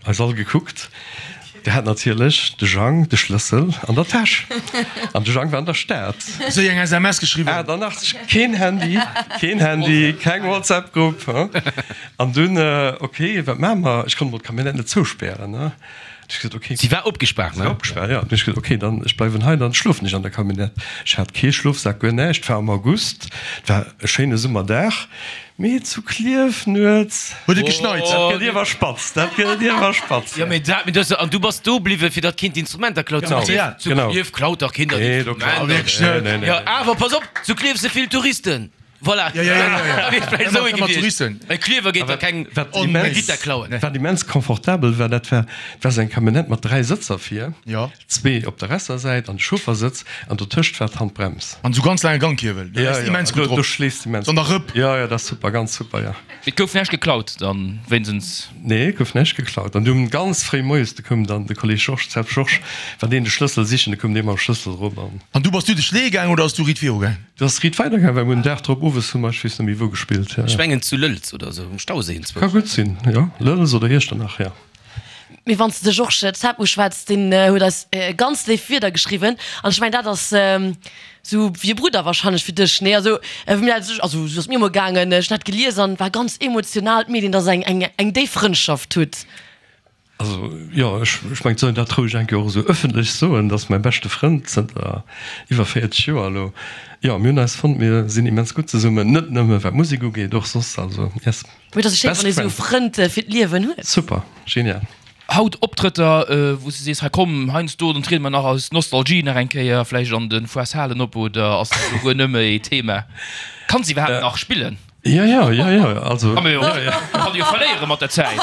Eis all gekuckt. Dee hat natierlech de Jang de Schlëssel an der Täsch. An de Jang war an der Stad. Séier eng S M S geschriwwen. achtundachtzeg, keen Handy, keen Handy, keng WhatsApp-Grupp. An dunn, ok, wat maache mer? Ech konnt mol d'Camionnette net zouspären, ne? Du ech gesot, ok. Si war opgespaart, ne? Si war opgespaart, ja. Du ech gesot, ok, dann ech bleiwen hei, dann schlofen ech an der Camionnette. Ech hat kee Schlofsak, guer näischt. Et war am August, et war e schéine Summerdag, mee zu Klierf nuets. Huet et geschneit? Dat gëtt iewer spatz, dat gëtt iewer spatz. Jo, mee dat, mee du, an du bass do bliwwen, fir datt keen d'Instrumenter klaut. Genau, Zu Klierf, zu genau. Klierf klaut dach keen dat Nee, do klaut Instrument. Nee, nee, nee. Jo, awer pass op, zu Klierf si vill Touristen. Voilà. Ja, ja, ja, ja, ja. Wier vläicht esou Ëmmer, ëmmer gewiescht. Touristen. E Klierfer geet da keng Wat eng immens, Gittar klauen. wat immens komfortabel war, dat war, dat war esou eng Camionnette mat dräi Sëtzer vir, Ja. zwee op der resser Säit an de Chauffersëtz an dotëscht war d'Handbrems. An esou ganz laange Gangkiewel. Do Ja, läss ja, immens gutt do, do drop. schleefs de immens. An der Rëpp. Ja, ja, dat ass super, ganz super, ja. Et gouf näischt geklaut dann wéinstens? Nee, gouf näischt geklaut. An dunn ganz fréi moies, du koum dann de Kolleg Georges, Zepp Georges, war deen de Schlëssel sichen, du koum dee mam Schlëssel erop an. An du bass du de Schlee gaang oder ass du riit viru gaang? Du ass riit weider gaang, well mir hunn den Dag drop owes hu mer, ech weess net méi wou gespillt, ja. Ech mengen zu Lëlz oder esou, um Stauséi Ka enzwousch. gutt sinn, jo, Lëlz oder Iechternach, ja. Mee wann s de de Georges Zepp uschwätz, deen huet eis ganz léif Wierder geschriwwen an ech mengen dat ass esou wéi e Brudder wahrscheinlech fir dech, nee? Also wéi mir dat, also esou ass et mir emol gaangen, ech hunn dat gelies an war ganz emotional, d'Medien, dass eng eng eng déif Frëndschaft hutt. Also jo, ech ech mengen, et soll een dat roueg eng Kéier och esou ëffentlech soen, dat ass mäi beschte Frënd zënter iwwer véierzeg Joer elo. Jo, mir hunn eis fonnt, mir sinn immens gutt zesummen, net nëmme wat d'Musek ugeet, och soss, also yes, Mee et ass jo schéin, best wann ee sou friend. Frënd fir d'Liewen huet. Super, genial. Haut Optrëtter, wou s de sees, hei komm, heiansdo, dann triede mer nach aus Nostalgie nach eng Kéier vläicht an de Foires Halen op, oder ass dat elo guer net méi Thema? Kanns iwwerhaapt nach spillen? Jo, jo, jo, jo, also. Kann jo, kann jo verléiere mat der Zäit.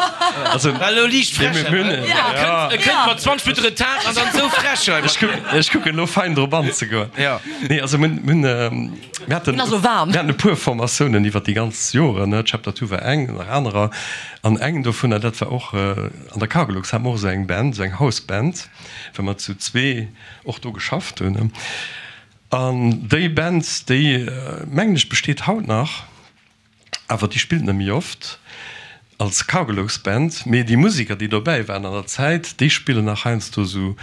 Also, War elo liicht frech, mir hunn, hä? ja. E kënnt mat zwanzeg Minutte Retard an dann esou frech hei. Ech kucken, ech kucken elo fein drop anzegoen. Ja. Nee, also mir hunn, mir hunn, mir haten, Mir ass elo waarm. mir haten e puer Formatiounen iwwer déi ganz Joren, ne, Chapter Two war eng, nach anerer. An eng dovunner, dat war och an der Cargolux, hate mer och esou eng Band, esou eng House-Band, well mer zu zwee och do geschafft hunn. An déi Band, déi, mengen ech, besteet haut nach. Awer déi spillt net méi oft als Cargolux Band, mee déi Museker déi dobäi waren an der Zäit, déi spillen nach heiansdo sou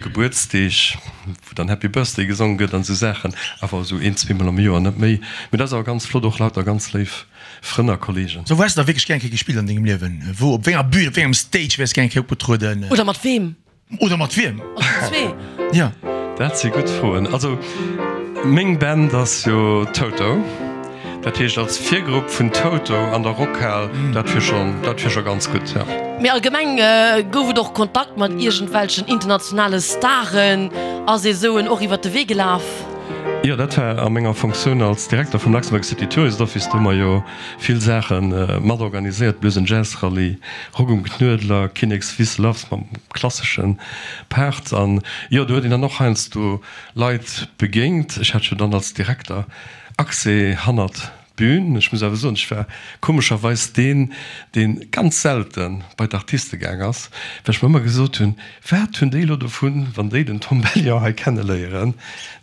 Gebuertsdeeg, wou dann Happy Birthday gesongen gëtt an esou Saachen, awer esou een, zweemol am Joer, net méi. Mee dat ass awer ganz flott, och lauter ganz léif Frënn a Kollegen. Sou, wou häss de da wierklech gär eng Kéier gespillt an dengem Liewen? Wou, op wéi enger Bühn, op wéi engem Stage wäers gär eng Kéier opgetrueden? Oder mat weem? Oder mat wiem? Oder zwee? Ja. Dat si gutt Froen. Also meng Band ass jo Toto. Dat heescht als Virgrupp vun Toto an der Rockhal, dat wier schonn, dat wier scho ganz gutt, ja. Mee allgemeng, gouf et och Kontakt mat iergendwelchen internationale Staren? Ass ee sou en och iwwert de Wee gelaf? Jo, dat war a menger Fonctioun als Direkter vum Luxembourg City Tourist Office. Do hu mer jo vill Saache mat organiséiert, Blues and Jazz Rallye, Rock um Knuedler, Kinnekswiss Loves mam klassesche Part. An jo, do huet een dann och heiansdo Leit begéint. Ech hat jo dann als Direkter Accès hannert d'Bün. Ech muss awer soen, ech war komescherweis deen, dee ganz selte bei d'Artiste gaang ass, well ech mer ëmmer gesot hunn, Wat hunn déi elo dovun, wann déi den Tom Bellion hei kenneléieren?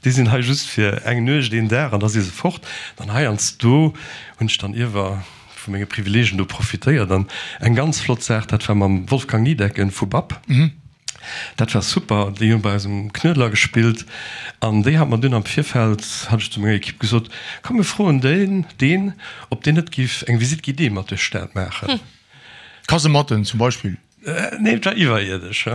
Déi sinn hei just fir eng Nuecht, een Dag an da si se fort. An heiansdo hunn ech dann iewer vu menge Privileegen do profitéiert. An eng ganz flott Saach, dat war mam Wolfgang Niedecken vu Bab. Dat war super, déi hunn bei eis um Knuedler gespillt an déi hat mer dunn am Virfeld, hat ech zu menger Equipe gesot, komm mir froen deen, deen, ob deen net giff eng Visite guidée mat duerch d'Stad maachen. Kasematten zum Beispill? Nee, et war iwwerierdesch.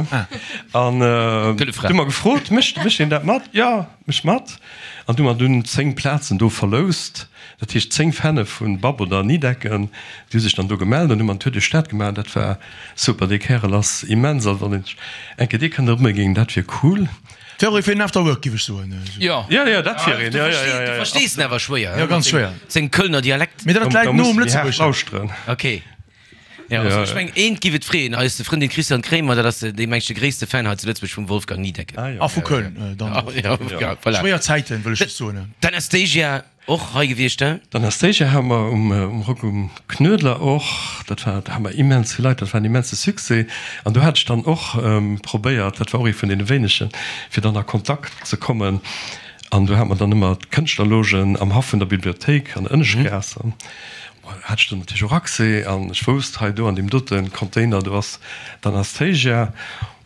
An du hu mer gefrot, mécht, mécht deen dat mat? Jo, mécht mat. An du hu mer dunn zéng Plazen do verloust, dat heescht zéng Fäne vu Bab oder Nidecken, déi hu sech dann do gemellt an hu mer en Tour duerch d'Stad gemaach an dat war Super, dee Kärel ass immens, also wann een eng Kéier dee kënnt erëmginn, dat wier cool. Wär och ee fir den After Work, giff ech soen. Jo. Jo, jo, dat wier een, jo, jo, jo, Du jo. verstees en awer schwéier, Jo, ganz schwéier. Sengem Kölner Dialekt. Mee dat Da läit no muss um de méi haart Lëtzebuergeschen. lauschteren. Ok. Jo, also ech mengen, eent giff et freeën, eis Frëndin Christiane Kremer, dat ass dee mengt de gréisste Fan hei zu Lëtzebuerg vum Wolfgang Niedecken. Ah jo. A vu Köln dann och. Jo, jo, voilà. Schwéier Zäiten, wëll ech just soen. D'Anastasia Och hei gewiescht, he? D'Anastasia hate mer um Rock um Knuedler och. Dat war, do hate mer immens vill Leit, dat war en immense Succès. An do hat ech dann och probéiert, dat war och ee vun deene wéinegen, fir dann a Kontakt ze kommen. An do hate mer dann ëmmer d'Kënschtlerlogen am Haff vun der Bibliothéik an der Ënneschtgaass. An do hat ech dann natierlech och Accès. An ech wousst, hei do an deem dote Container, do ass d'Anastasia.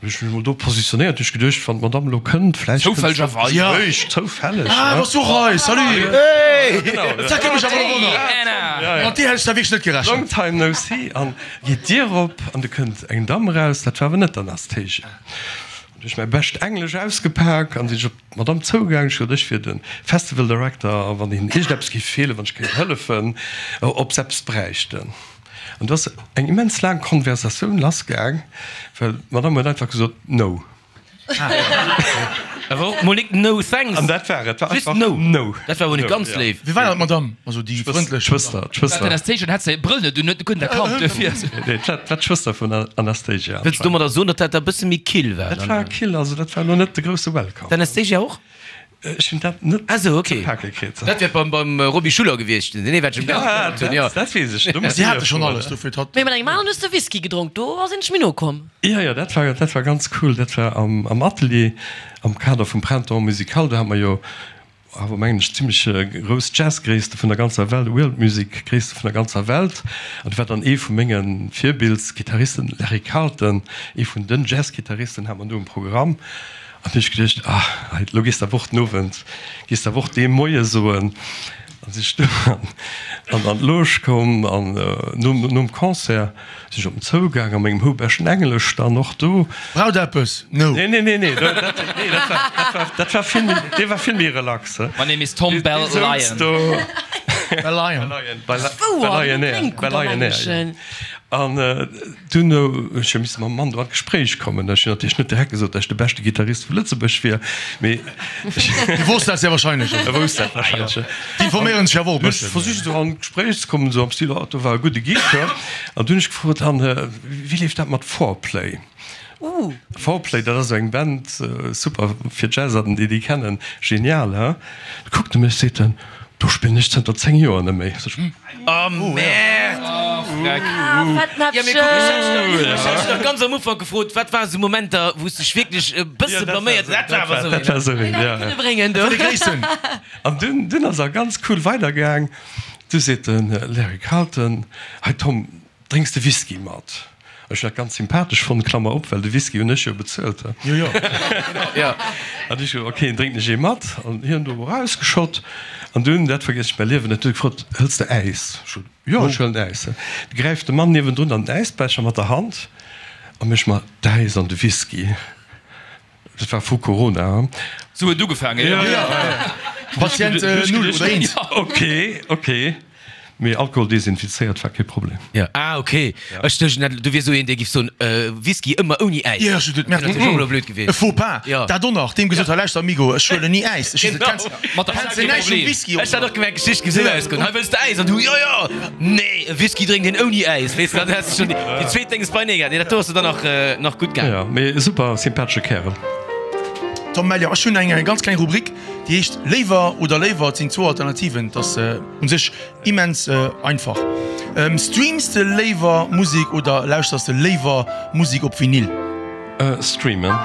Hunn ech mech mol do positionéiert, hunn ech geduecht, wann d'Madame elo kënnt, vläicht kënnt se Zoufällegerweis. Ja. Réischt zoufälleg, Ah, ne? bass du och hei? Salut! Hey! Genau, ja. Dat kënnt mech awer elo wonneren. Anna! Ja, ja. Mat dir hätt ech da wierklech net gerechent. Long time no see. An geet d'Dier op an du kënnt eng Damm eraus, dat war awer net d'Anastasia. Hunn ech mäi bescht Englesch ausgepak an sinn ech op d'Madame zougaang. Ech gesot, ech wier de Festival Director a wann hinnen iergendeppes géif feelen, wann ech kéint hëllefen, ob se eppes bräichten. An do ass eng immens laang Konversatioun lassgaang, well d'Madame huet einfach gesot, No. Awer och mol nik No thanks. An dat war et. War Just einfach No. No. Dat war wohl No, net ganz ja. léif. Wie war dat, d'Madame? Also déi frëndlech D'Schwëster, d'Schwëster. D'Anastasia hat säi Brëll net un, huet net kënnen erkannt duerfir. Nee, dat war d'Schwëster vun der Anastasia. Wëlls du domadder soen, datt dat da bësse méi kill war? Dat war kill, also dat war elo net de grousse Welcome. D'Anastasia och? Ech hunn dat net Ah sou, ok. ze pake kritt. Dat wär beim, beim Roby Schuller gewiescht, den ee wat ech Ja, ja, ja. dat, dat weess ech. Do muss Si ech hate schonn froen. alles, dofir hat. Mee mat engem aneren hues de Whisky gedronk, do ass een méi no komm. Ja, ja, dat war, dat war ganz cool. Dat war am, am Atelier am Kader vum Printemps Musical. Do hat mer jo awer, mengen ech, zimmlech grouss Jazzgréisste vun der ganzer Welt, World Music Gréisste vun der ganzer Welt. An do war dann ee vu menge Virbildsgittaristen, Larry Carlton, ee vun den Jazzgittaristen, hat mer do um Programm. An du hunn ech geduecht, ah, hei, elo gees de awer och den Owend, gees de awer och dee Moie soen. An An si ech du an an d'Loge komm an nom nom Concert si ech op en zougaang a mengem houbeschten Englesch dann och do. Braucht eppes? No. Nee, nee, nee, nee, dat, nee, dat war, dat war, dat war vill méi, dee war vill méi relax. My name is Tom Bell Lion. Bell Lion. Bell Lion, Bell Lion Air. An dunn hunn ech jo misse mam Mann do an d'Gespréich kommen. Ech hunn natierlech net direkt gesot, datt ech de beschte Gittarist vu Lëtzebuerg wier, mee. Dee wosst dat sehr wahrscheinlech. E wousst dat wahrscheinlech, jo. Déi informéieren sech awer och e bëssen. Ech versicht esou an d'Gespréich ze kommen, esou am Stil, oh, do war e gudde Gig, hä? An dunn hunn ech gefrot, an wéi leeft dat mat Fourplay? Fourplay, dat ass esou eng Band, super fir Jazzerten, déi déi kennen, genial, hä? Da kuckt e mech, seet en, Do spillen ech zënter zéng Joer net méi. Oh Merde! Ja, mee kuck, ech hat dech nach ganz am Ufank gefrot, wat waren esou Momenter, wou s de dech wierklech e bësse blaméiert hues? Dat war awer esou een. Dat war esou een, ja. Kënne bréngen do. An dunn, dunn ass er ganz cool weidergaang. Du seet de Larry Carlton, Hei Tom, Drénks de Whisky mat? Ech hunn dat ganz sympathesch fonnt, Klammer op, well de Whisky hunn ech jo bezuelt. Jo, jo. Jo. An ech, ok, drénken ech ee mat. An hien do erausgeschott. An dunn, dat vergiess ech mäi Liewen net, huet e gefrot, Hëls de Äis? Ech sot, Jo, ech huelen Äis. Du gräift de Mann niewendrun an den Äisbecher mat der Hand a mécht mer d'Äis an de Whisky. Dat war vru Corona. Sou huet et ugefaangen, jo. Patient null oder eent. Ok, ok. Mee Alkohol desinfizéiert war kee Problem. Jo, ah ok. Ech duecht net, du wiers esou een, dee giff soen, Whisky ëmmer ouni Äis. Jo, ech hunn Dat wier och elo blöd gewiescht. E Faux pas, dat och nach. Deem gesot, hei lauschter Amigo, ech huelen ni Äis. Ech hunn gesot, Mat der kenns de näischt vum Whisky? Ech hat och gemengt, d'Geschicht giff esou ausgoen, hei wëlls de Äis? An du, jo, jo, nee, e Whisky drénkt een ouni Äis, weess de. Dann häss de schonn déi zweet Dénges beinee gehat. Nee, dat do ass der dann nach, nach gutt gaangen. Jo, mee super sympathesche Kärel. Tom Melior, ech hunn eng ganz kleng Rubrik, déi heescht Léiwer oder léiwer. Et sinn zwou Alternativen. Et ass u sech Immens einfach. Streams de léiwer Musek oder lauschters de léiwer Musek op Vinyl? Streamen.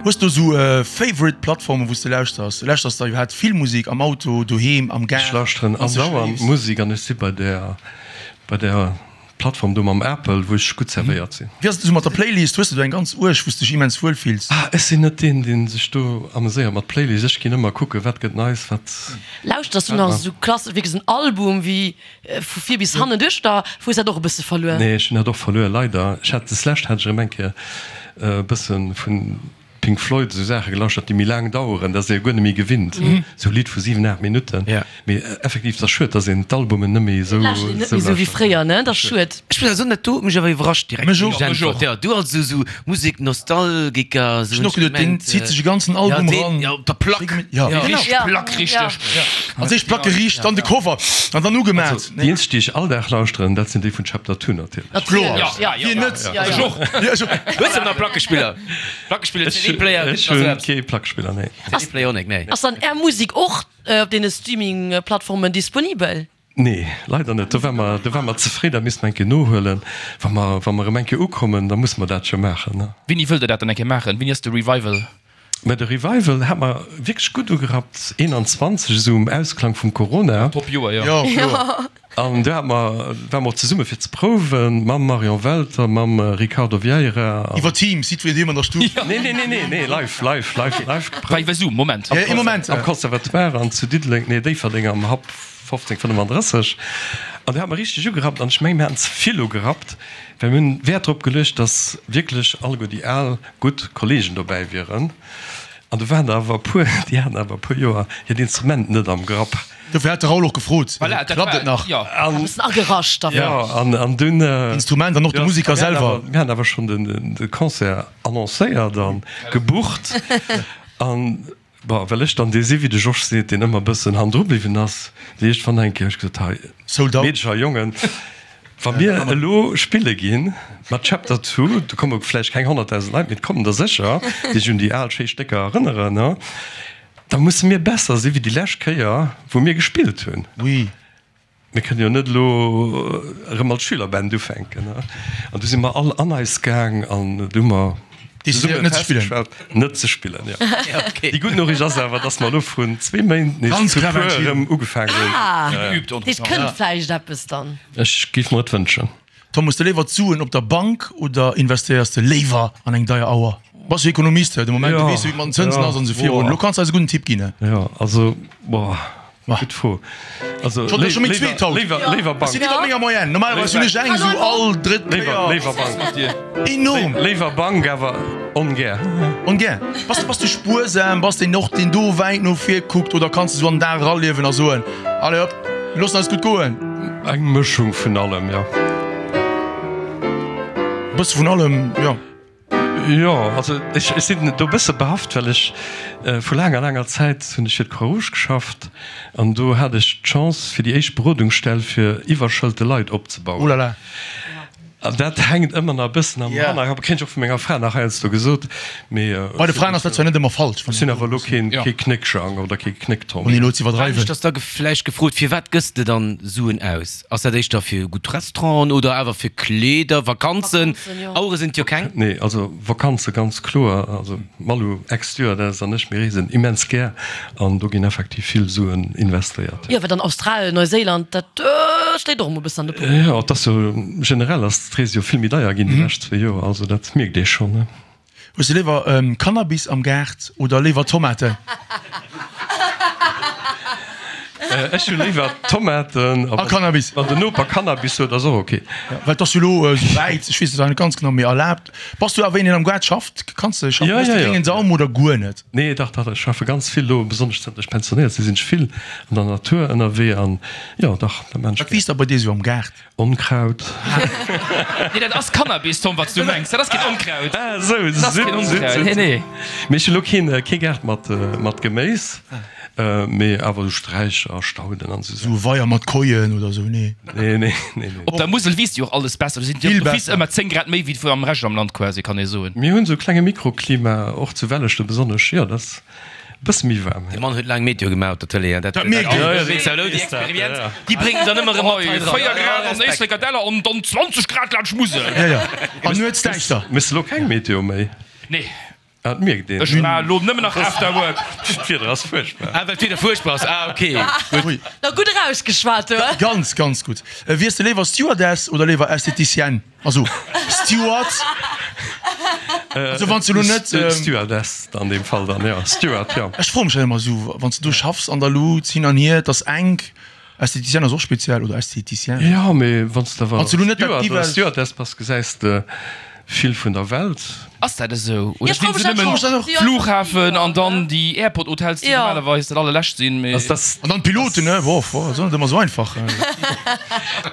Hues du sou favorite Plattformen wous de lauschters? Lauschters de iwwerhaapt vill Musek am Auto, doheem, am Gaart, wann s Ech lauschteren de schléifs? andauernd Musek an ech si bei där bei där Plattform do mam Apple, wou ech gutt servéiert sinn. Wéi ass et esou mat der Playlist? Hues de do eng ganz uerg, wou s de dech immens wuel fills? Ah, ech sinn net deen, dee sech do ameséiert mat Playlist. Ech ginn ëmmer kucken, wat gëtt neis, wat. Lauschters du nach esou klassesch, wierklech esou en Album wéi vu vir bis hannen duerch, oder hues dat och e bësse verluer? Nee, ech hunn dat och verluer, leider. Ech hat deslescht hat ech erëm eng Kéier e bësse vun Pink Floyd esou Saache gelauschtert, déi méi laang daueren, dat ass ee jo guer net méi gewinnt, esou Lidd vu siwen, aacht Minutten. Mee effektiv, et ass schued, datt een d'Albumen net méi esou Et lauschtert een net méi esou wéi fréier, ne? Dat ass schued. Ech muss awer soen, dat do huet mech awer iwwerrascht direkt, Mech och, mech och. Jo, du als esou Musek-Nostalgiker, esou Ech hunn och geduet, deen zitt sech e ganzen Album eran. Jo, op der Plack. Jo, genau. Richteg Plack, richteg. Als éischt Plack geriicht, dann de Cover an dann ugemaat. Also, déi eenzeg, déi ech all Dag lauschteren, dat sinn déi vun Chapter Two natierlech. Kloer, Ja, wien net? Ech och. Hues de nach Plackespiller? Plackespiller, C D-Player, Ech hunn kee Plackespiller, nee. C D-Player och net, nee. Ass dann Är Musek och op deene Streaming-Plattformen disponibel? Nee, leider net. Do war mer, do war mer ze fréi. Dat misste mer eng Kéier nohuelen. Wa mer, wa mer erëm eng Kéier ukommen, da musse mer dat jo maachen, ne? Wéini wëllt Der dat dann eng Kéier maachen? Wéini ass de Revival? Mä de Revival hat mer wierklech gutt ugerappt, eenanzwanzeg, esou um Ausklang vum Corona. Top Joer, jo. Jo, kloer. An do hat mer, ware mer och zesumme fir ze prouwen, mam Marion Welter, mam Ricardo Vieira an. Iwwer Teams, jiddwereen doheem an der Stuff. Nee, nee, nee, nee, nee, live, live, live, live geprouft. War iwwer Zoom, Moment. Ja, ee Moment. Am Conservatoire an zu Diddeleng, nee, Déifferdeng am Hub fofzéng fënnefandrësseg. An do hat mer richteg ugerappt an ech mengen, mir haten ze vill ugerappt, well mir hunn Wäert drop geluecht, dass wierklech alleguer déi al, gutt Kollegen dobäi wieren. An do waren der awer e puer, déi haten awer e puer Joer hiert Instrument net am Grapp. Dofir hat de Raoul och gefrot, Voilà, dat Klappt war et nach? jo. E bëssen agerascht da Jo, vläicht. an, an dunn. Instrument an och de Musiker selwer. Mir haten awer schonn den, de Concert annoncéiert a gebucht. An Bon, well ech dann dee si wéi de Georges seet, deen ëmmer e bëssen hannendru bliwwen ass, déi éischt wann eng Kéier hu ech gesot, hei Sold out. Meedecher a Jongen, wa mir elo spille gi mat Chapter Two, do komme vläicht keng honnertdausend Leit, mee et kommen der sécher, déi sech un déi al schéi Stécker erënneren, da musse mir besser si wéi déi lescht Kéier, wou mir gespillt hunn. Oui. Mir kënnen jo net elo erëm als Schülerband ufänken. An du si mer all an eis gaang an du hu mer zesumme festgestallt, net ze spillen. Jo. Déi gutt Noriicht ass awer, dass mer elo vrun zwee Méint nees zu puer erëm ugefaangen hunn. Ah, dat kënnt vläicht eppes dann. Ech géif mer et wënschen. Tom, hues de léiwer d'Suen op der Bank oder investéiers de léiwer an eng deier Auer? Bass jo Ekonomist, de Moment, du weess jo wéi et mat den Zënsen ass an esou virun. Elo kanns de eis e gudden Tipp ginn. Jo, also, boah. Gutt Fro. Also Schon schon méi zweet haut. Léiwer, léiwer Ech sinn Bank. iwwer menger Moyenne. Normalerweis hunn ech eng esou all drëtt Léiwer, Kéier. léiwer Bank. Enorm. Léiwer Bank, awer ongär. Ongär. Bass, bass du spuersam? Bass deen och, deen do wäit no vir kuckt oder kanns du esou an den Dag eraliewen a soen, Allez hop, mir loossen eis gutt goen? Eng Mëschung vun allem, jo. E bësse vun allem, jo. Jo, also ech, ech sinn do e bësse behaft, well ech vu laanger, laanger Zäit hunn ech fir d'Croix-Rouge geschafft an do hat ech d'Chance, fir déi éischt Berodungsstell fir iwwerschëlte Leit opzebauen. Oh là là. An dat hänkt ëmmer nach e bëssen am Hannerkapp, kréien ech och vu menger Fra nach heiansdo gesot, mee Bei de Fraen ass dat zwar net ëmmer falsch, ech sinn awer elo keen, kee Knéckjang oder kee Knécktom. Ouni elo ze iwwerdreiwen. Anescht ass da vläicht gefrot, firwat gëss de dann Suen aus? Ass dat éischter fir gutt Restauranten oder awer fir Kleeder, Vakanzen? Auere sinn et jo keng. Nee, also Vakanze ganz kloer. Also d'Malou, Ex-Stewardess, an ech, mir reesen immens gär an do ginn effektiv vill Suen investéiert. Jo, well dann Australien, Neuséiland, dat schléit och emol e bëssen an de Popo. Jo, et ass jo generell ass d'Rees jo vill méi deier ginn déi lescht zwee Joer, also dat mierkt ee schonn. Hues de léiwer Cannabis am Gaart oder léiwer Tomaten? Ech hu léiwer Tomaten. A Cannabis. Wann den Noper Cannabis huet, ass och ok. Well et ass jo elo esouwäit, ech weess et nach net ganz genau, mee erlaabt. Bass du awer een, deen am Gaart schafft? Kanns de schaffen? Ja, Hues de ja, ja. gréngen Daum oder guer net? Nee, dach, dach, ech schaffe ganz vill elo, besonnesch zënter ech pensionéiert sinn, sinn ech vill an der Natur ënnerwee an jo, dach, dat maan ech Wat gär. wiisst da bei dir esou am Gaart? Onkraut. Nee, dat ass Cannabis, Tom, wat s du mengs. Dat ass keen Onkraut. Ah, esou, Dat ass keen Onkraut. Nee, nee. Mee ech hunn elo keen, kee Gaart mat, mat Geméis, mee awer esou Sträicher a Stauden an esou Esou e Weier mat Koien oder esou, nee? Nee, nee, nee, nee. Op der Musel wiisst jo och alles besser. Do sinn jo Vill d'office besser. ëmmer zéng Grad méi wéi am Rescht am Land quasi, kann ee soen. Mir hunn esou e klenge Mikroklima, och zu Welleschten besonnesch, jo, dat ass. Bësse méi waarm. De Mann huet laang Meteo gemaach op der Tëlee, an dat Dat mierkt een. Ja, ja, déi Experienz, déi bréngt en dann ëmmer erëm mat hei dran. Véier Grad an Éislek Däller an dann zwanzeg Grad laanscht Musel. Ja, ja. An nuets däischter. Méchs de lo keng Meteo méi? Nee. Ah, dat mierkt een. Ech maache lo nëmmen nach Afterwork. D'Wieder ass fuerchtbar. Ah, well d'Wieder fuerchtbar ass. Ah, ok. Ui. Na gutt erausgeschwat, du. Ganz, ganz gutt. Wiers de léiwer Stewardess oder léiwer Esthéticienne? Also Steward. Also wann s de lo net. Stewardess an deem Fall dann, jo. Steward, jo. Ech froe mech dat ëmmer esou, wann s de do schaffs an der Lut, hin an hier, et ass enk. Esthéticienne ass och speziell, oder Esthéticien. Jo, mee wann s de awer Wann s de lo net dat Steward oder Divers. Stewardess bass, gesäis de vill vun der Welt. Ass dat esou? Oder Ja, sinn se ech nëmmen froe mech dat och. Flughafen an dann déi Airport-Hotels, déi Ja. normalerweis dat allerlescht sinn, mee. Also das, An dann d'Piloten, ne? Boah, boah, ass och net ëmmer esou einfach.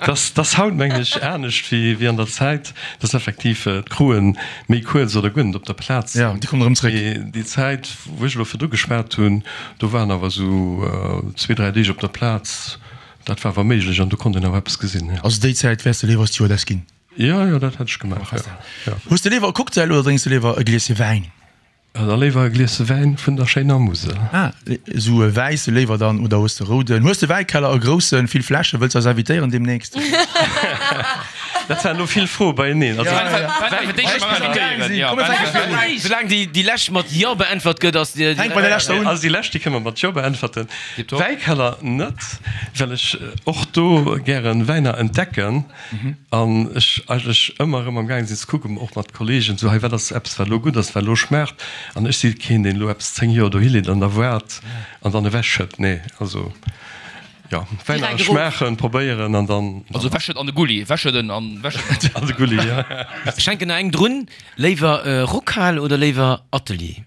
das, das haut mengen ech anescht wéi, wéi an der Zäit, dass effektiv d'Crewen méi kuerz oder guer net op der Plaz Ja, sinn. déi kommen erëm zréck. Mee déi Zäit, wou ech elo virdru geschwat hunn, do waren awer esou zwee, dräi Deeg op der Plaz, dat war awer méiglech an do konnt een awer eppes gesinn, ja. Also déi Zäit wäers de léiwer Stewardess ginn? Jo, jo, dat hätt ech gemaach, jo. Jo. Hues de léiwer e Cocktail oder drénks de léiwer e Glieschen Wäin? Da léiwer e Glieschen Wäin vun der schéiner Musel. Ah, esou e wäisse léiwer dann oder hues de rouden? Hues de Wäikeller, e groussen, vill Fläschen? Wëlls eis invitéieren deemnächst? Dat waren elo vill Froe beieneen. Also, Soulaang déi lescht mat Jo beäntwert gëtt, ass déi. Fänk bei der leschter un. Also déi lescht, déi kënne mer mat Jo beäntwerten. Wäikeller net, well ech och do gären Wäiner entdecken an ech eigentlech ëmmer erëm am gaange sinn ze kucken, och mat Kollegen, sou hei wat ass eppes wat elo gutt ass, wat elo schmaacht. An ech si keen, deen elo eppes zéng Joer dohi leet an da waart an dann ewechschëtt. Nee, also jo, Wäiner schmaachen, probéieren an dann. Also ewechschëtt an de Gulli, ewechschëdden an ewechschëdden. An de Gulli, jo. Ech hänken nach eng drun, Léiwer Rockhal oder léiwer Atelier?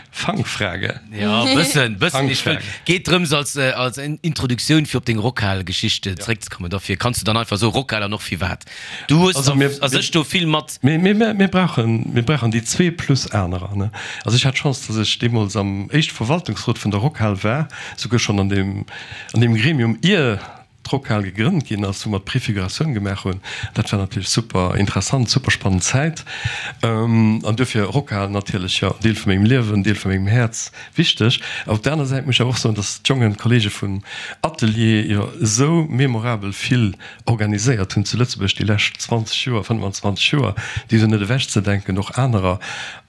Fangfrage. Jo, bëssen, bëssen. Ech wëll, Fangfrage. geet drëms als, als Introduktioun fir op deng Rockhal-Geschicht zeréckzekommen. Dofir kanns du dann einfach soen, Rockhal an och firwat. Du hues Also mir, a sech do vill mat. Mir, mir, mir brauchen, mir brauchen déi zwee plus anerer, ne. Also ech hat d'Chance, dass ech deemools am éischte Verwaltungsrot vun der Rockhal war, souguer schonn an deem, an deem Gremium, ier d'Rockhal gegrënnt ginn ass, wou mer d'Préfiguratioun gemaach hunn. Dat war natierlech super interessant, super spannend Zäit. An duerfir Rockhal natierlech, jo, Deel vu mengem Liewen, Deel vu mengem Häerz, wichteg. Awer op der aner Säit muss ech awer och soen, dass d'Jongen, d'Kollege vum Atelier jo esou memorabel vill organiséiert hunn zu Lëtzebuerg déi lescht zwanzeg Joer, fënnwanzwanzeg Joer, déi sinn net ewechzedenken, och anerer.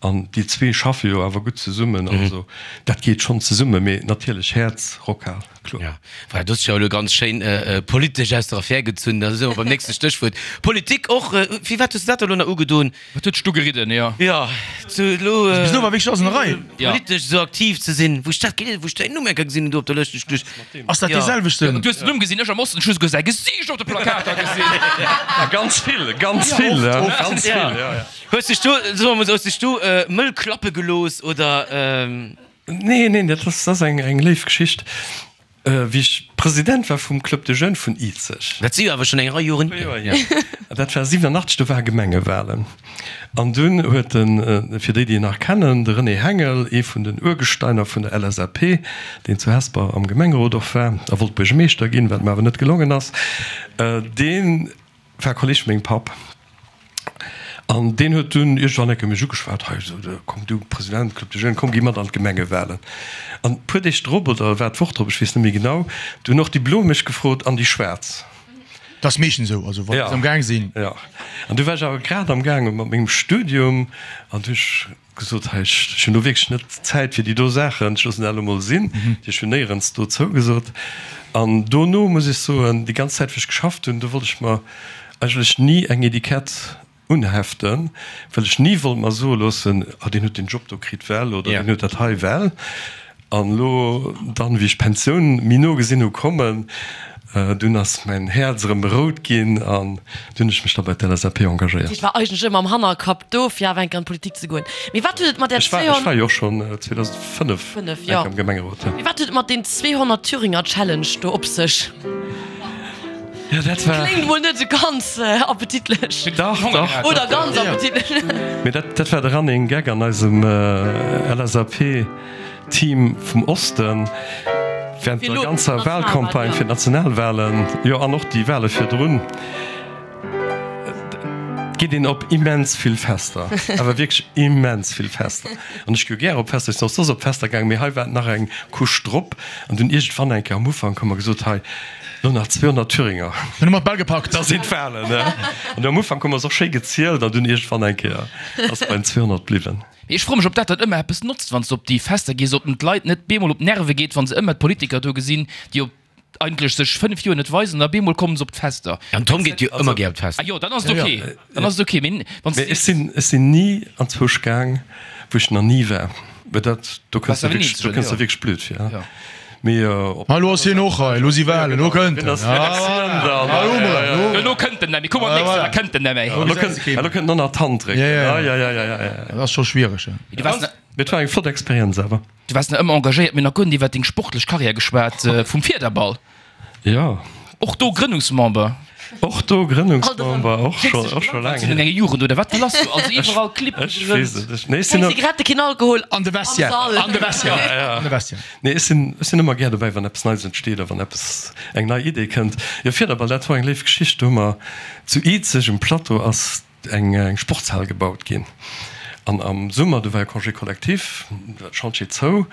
An déi zwee schaffe jo awer gutt zesummen. Also dat geet schonn zesummen, mee natierlech Häerz, Rockhal. Kloer. Ja, voilà, du hues jo elo ganz schéin politesch aus der Affär gezunn. Da si mer beim nächste Stéchwuert. Politik och. Firwat hues de dat elo nach ugedoen? Wat huet dech do geridden, jo? Jo, zu elo. Bis elo war wierklech alles an der Rei. Politesch esou aktiv ze sinn. Wou ech dat gelies, wou ech däin Numm eng Kéier gesinn hunn do op der Lëscht, hu ech geduecht. Ass dat dee selwechten? Du hues den Numm gesinn, ech am Osten, ech hu souguer säi Gesiicht op de Plakater gesinn. Ganz vill, ganz vill, ganz vill, jo, jo. Hues dech do, soe mer mol esou, hues dech do mëll klappe gelooss oder? Nee, neen, dat ass, dat ass eng, eng léif Geschicht. Wéi ech President war vum Club des Jeunes vun Izeg. Dat si jo awer schonn eng Rei Joren hier. Dat war siwenenachtzeg, do ware Gemengewahlen. An dunn huet den, fir déi, déi en nach kennen, de René Hengel, ee vun den Urgesteiner vun der L S A P, deen zu Hesper am Gemengerot och war a wollt Buergermeeschter ginn, wat em awer net gelongen ass, dee war Kolleg vu mengem Papp. An deen huet dunn iergendwann eng Kéier mech ugeschwat, Hei, esou, komm du President Club des Jeunes, komm gi mat an d'Gemengewahlen. An e puer Deeg drop, oder war d'Woch drop, ech weess net méi genau, du hunn och déi Blo mech gefrot an déi Schwaarz. Dat ass meeschtens esou, also wa se am Gaang sinn. Jo, an du war ech awer grad am Gaange mat mengem Studium an du hu ech gesot, Hei, ech hunn do wierklech net Zäit fir déi do Saachen, ech loossen dat elo mol sinn. Ech hunn néierens do zougesot. An dono muss ech soen, déi ganz Zäit wou ech geschafft hunn, do wollt ech mer eigentlech ni eng Etikett unheften, well ech ni wollt mer soe loossen, ah deen huet deen Job do kritt well oder deen huet dat hei well. An elo dann, wéi ech d'Pensioun méi no gesinn hu kommen, dunn ass mäin Häerz erëm rout ginn an dunn hunn ech mech da bei d'L S A P engagéiert. Dat heescht, war eigentlech ëmmer am Hannerkapp do, fir awer eng Kéier an d'Politik ze goen. Mee wat huet et mat där Ech war, ech war jo och schonn zweedausendfënnef Fënnef, eng jo. Kéier am Gemengerot, jo. Mee wat huet et mat deem zweehonnert Thüringer Challenge do op sech? Ja, dat war. Kléngt mol net esou ganz appetitlech. Dach, dach. Oder ganz appetitlech. Mee dat, dat war de Running Gag an eisem L S A P-Team vum Osten während der ganzer Wahlcampagne fir d'Nationalwahlen, jo, an och déi Wahle virdrun. Et geet een op immens vill Fester, awer wierklech immens vill Fester. An ech gi jo gär op Fester, ech sinn och soss op Fester gaangen, mee hei war et nach eng Couche drop. An dunn iergendwann eng Kéier am Ufank hu mer gesot, hei, Lo nach zweehonnert Thüringer. Dann hu mer d'Bal gepackt. Da sinn d'Wahlen, ne? An am Ufank hu mer se och schéi gezielt an dunn iergendwann eng Kéier ass et bei den zweehonnert bliwwen. Mee ech froe mech, ob dat dann ëmmer eppes notzt, wann s de op déi Fester gees, ob den d'Leit net bemol op d'Nerve geet, wa se ëmmer d'Politiker do gesinn, déi op eigentlech sech fënnef Joer net weisen an da bemol kommen se op d'Fester. An Tom geet jo ëmmer gär op d'Fester. Ah jo, dann ass et ok, dann ass et ok. Mee wann s Mee ech sinn, ech sinn ni anzwousch gaang, wou ech nach ni war. Well dat, do kënns de wierklech, do kënns de wierklech blöd vir. Mee op. Ma elo ass hien och hei, elo si Wahlen, elo kënnt en. Elo kënnt en nemmi, kuck mol d'nächst Joer, da kënnt en nemmi. Elo kënnt en och nach d'Hand drécken. Ja, ja, ja, ja, ja. Dat ass scho schwiereg. Mee et war eng flott Experienz awer. Du waars nach ëmmer engagéiert. Mir hunn nach guer net iwwer deng sportlech Karriär geschwat, vum Fiederball. Jo. Och do Grënnungsmember. Och do Grënnungsmember, och scho, och scho laang hier. Enge Jugend oder wat war lass do? Also iwwerall Clibb Ech weess et net. Nee, ech sinn Keng Zigarette, keen Alkohol An de am Vestiaire, Sall. an de Vestiaire, an de Vestiaire. Nee, ech sinn, ech sinn ëmmer gär dobäi, wann eppes Neies entsteet a wann eppes, eng nei Idee kënnt. Jo, Fiederball, dat war eng léif Geschicht. Do hu mer zu Izeg um Plateau ass eng, eng Sportshal gebaut ginn. An am Summer, do war jo Congé collectif, do war de Chantier zou.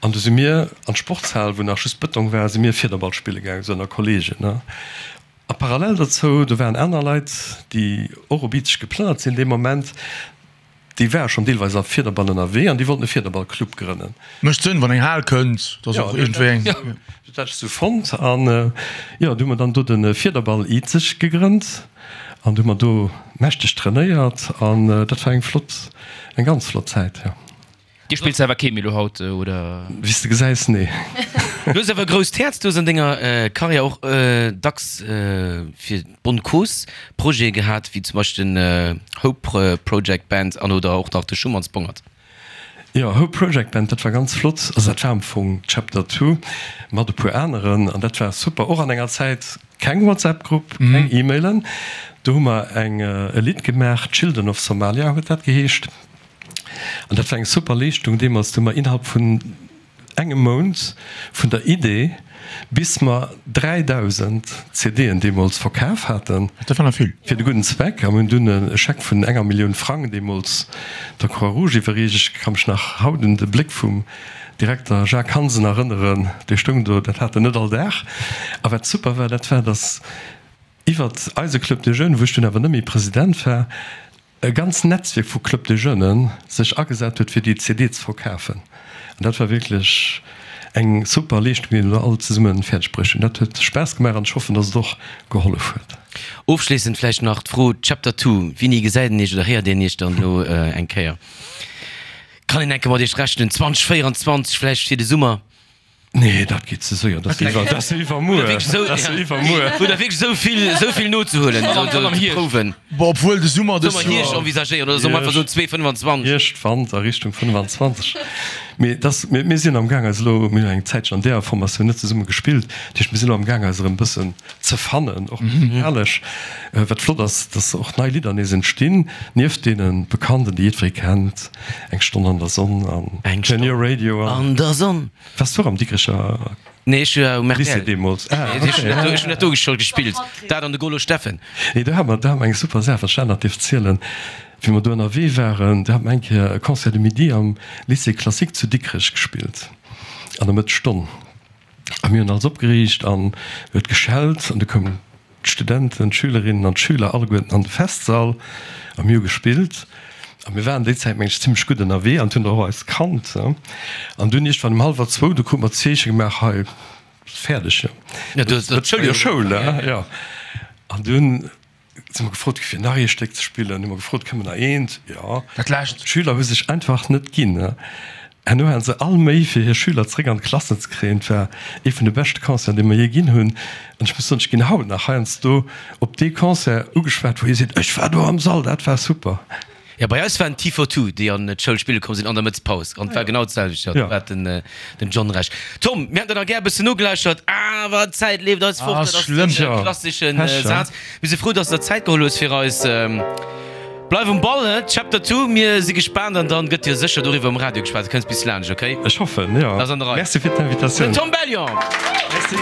An du si mir an d'Sportshal, wou nach just Bëtong war, si mir Fiederball spille gaangen, esou ënner Kollegen, ne. A parallel dozou, do waren aner Leit, déi och op Izeg geplënnert sinn dee Moment, déi ware schonn deelweis a Fiederball ënnerwee an déi wollten e Fiederballclub grënnen. Mécht Sënn, wann eng Hal kënnt, dass och iergendwéi eng. Dat hat ech esou fonnt. An jo, du hu mer dann do de Fiederball Izeg gegrënnt an du hu mer do mächteg trainéiert an dat war eng flott, eng ganz flott Zäit, jo. Dir spillt selwer kee méi lo haut, oder? Wéi s de gesäis, nee. Du hues awer e grousst Häerz, du hues an denger Karriär och dacks fir d'Bonne Cause Projete gehat, wéi zum Beispill den Hope Project Band an oder och nach de Schumanns Bongert. Jo, Hope Project Band, dat war ganz flott. Also dat war am Fong Chapter Two mat e puer aneren an dat war super. Och an enger Zäit, keng WhatsApp-Grupp, keng E-Mailen. Do hu mer eng e Lidd gemaach, Children of Somalia huet dat geheescht. An dat war eng super Leeschtung deemools. Do hu mer innerhalb vun engem Mount vun der Idee bis mer dräidausend C D'en deemools verkaf haten. Dat war nach vill. Fir de gudden Zweck. A mir hunn dunn e Scheck vun enger Millioun Frang deemools der Croix-Rouge iwwerreecht. Ech ka mech nach haut un de Bléck vum Direkter Jacques Hansen erënneren, dee stoung do, dat hat en net all Dag. A wat super war, dat war, datt iwwert eise Club des Jeunes, wou ech dunn awer net méi President war, e ganz Netzwierk vu Club des Jeunes sech agesat huet fir déi C D ze verkafen. An dat war wierklech eng super Leeschtung, déi mir do all zesumme fäerdeg bruecht hunn. Dat huet Spaass gemaach an ech hoffen, dass et och gehollef huet. Ofschléissend vläicht nach d'Fro, Chapter Two, Wéini gesäit een Iech oder héiert een Iech dann elo eng Kéier? Kann een enke mat Iech rechnen? zwanzeg véierundzwanzeg vläicht fir de Summer? Nee, dat geet ze séier, dat ass jo iwwermuer. Dat ass jo iwwermuer. Hutt Der wierklech esou vill, esou vill nozehuelen, esou ze prouwen? Bon, obwuel de Summer dës Soll mer Hierscht Joer. envisagéieren oder soll mer einfach soen zwee fënnefanzwanzeg? Hierscht, Wanter, Richtung fënnefanzwanzeg. Mee dass, mir, mir sinn amgaang eis elo, mir hunn eng Zäitchen an deeër Formatioun net zesumme gespillt, dat heescht mir sinn elo amgaang eis erëm e bëssen ze fannen, och musikalesch. Wat flott ass, dass och nei Lidder nees entstinn, nieft deene bekannten, déi jiddweree kennt, Eng Stonn an der Sonn an Turn Your Radio an. An der Sonn. Wars du och am Dikrecher Nee, ech war um Lycée R T L. deemools? Ah, Ech okay. hunn dat do scho gespillt, dat an de Golo Steffen. Nee, do hate mer, do hate mer eng super Saach, wat ech nach dierf zielen. Wéi mer do ënnerwee waren, do hate mer eng Kéier e Concert de midi am Lycée classique zu Dikrech gespillt, an der Mëttesstonn. A mir hunn alles opgeriicht an huet geschellt an du koumen d'Studenten, d'Schülerinnen an d'Schüler alleguerten an de Festsall a mir hu gespillt. A mir waren déi Zäit, meng ech, zimlech gutt ënnerwee an hunn och eis kannt. An dunn iergendwann um hallwer zwou, du krute mer d'Zeeche gemaach, hei, fäerdeg, jo. Ja, du hues Dat Schoul, jo, Schoul, jo. An dunn si mer gefrot gi fir nach ee Stéck ze spillen. Hu mer gefrot, Kënne mer nach eent? Jo. Dat lescht. D'Schüler hu sech einfach net ginn. Herno hate se all Méi fir hir Schüler zeréck an d'Klassen ze kréien. Et war ee vun de beschte Concerten, dee mer jee ginn hunn. An ech muss soen, ech ginn haut nach heiansdo op dee Concert ugeschwat, wou ee seet, Ech war do am Sall, dat war super. Jo, bei eis waren d'T for Two, déi an d'Schoul spille komm sinn an der Mëttspaus. An et war genau d'selwecht, jo, do hat den John Recht. Tom, mir hätten der nach gär e bëssen nogelauschtert, awer d'Zäit leeft eis fort. Dat ass de klassesche Saz. Mir si frou, dass de der Zäit geholl hues fir eis. Bleif um Ball, he? Chapter Two, mir si gespaant an dann gëtt jo sécher doriwwer um Radio geschwat. Du kënns bis laanscht, ok? Ech hoffen, jo. Ass an der Rei. Merci fir d'Invitatioun. Den Tom Bellion! Merci.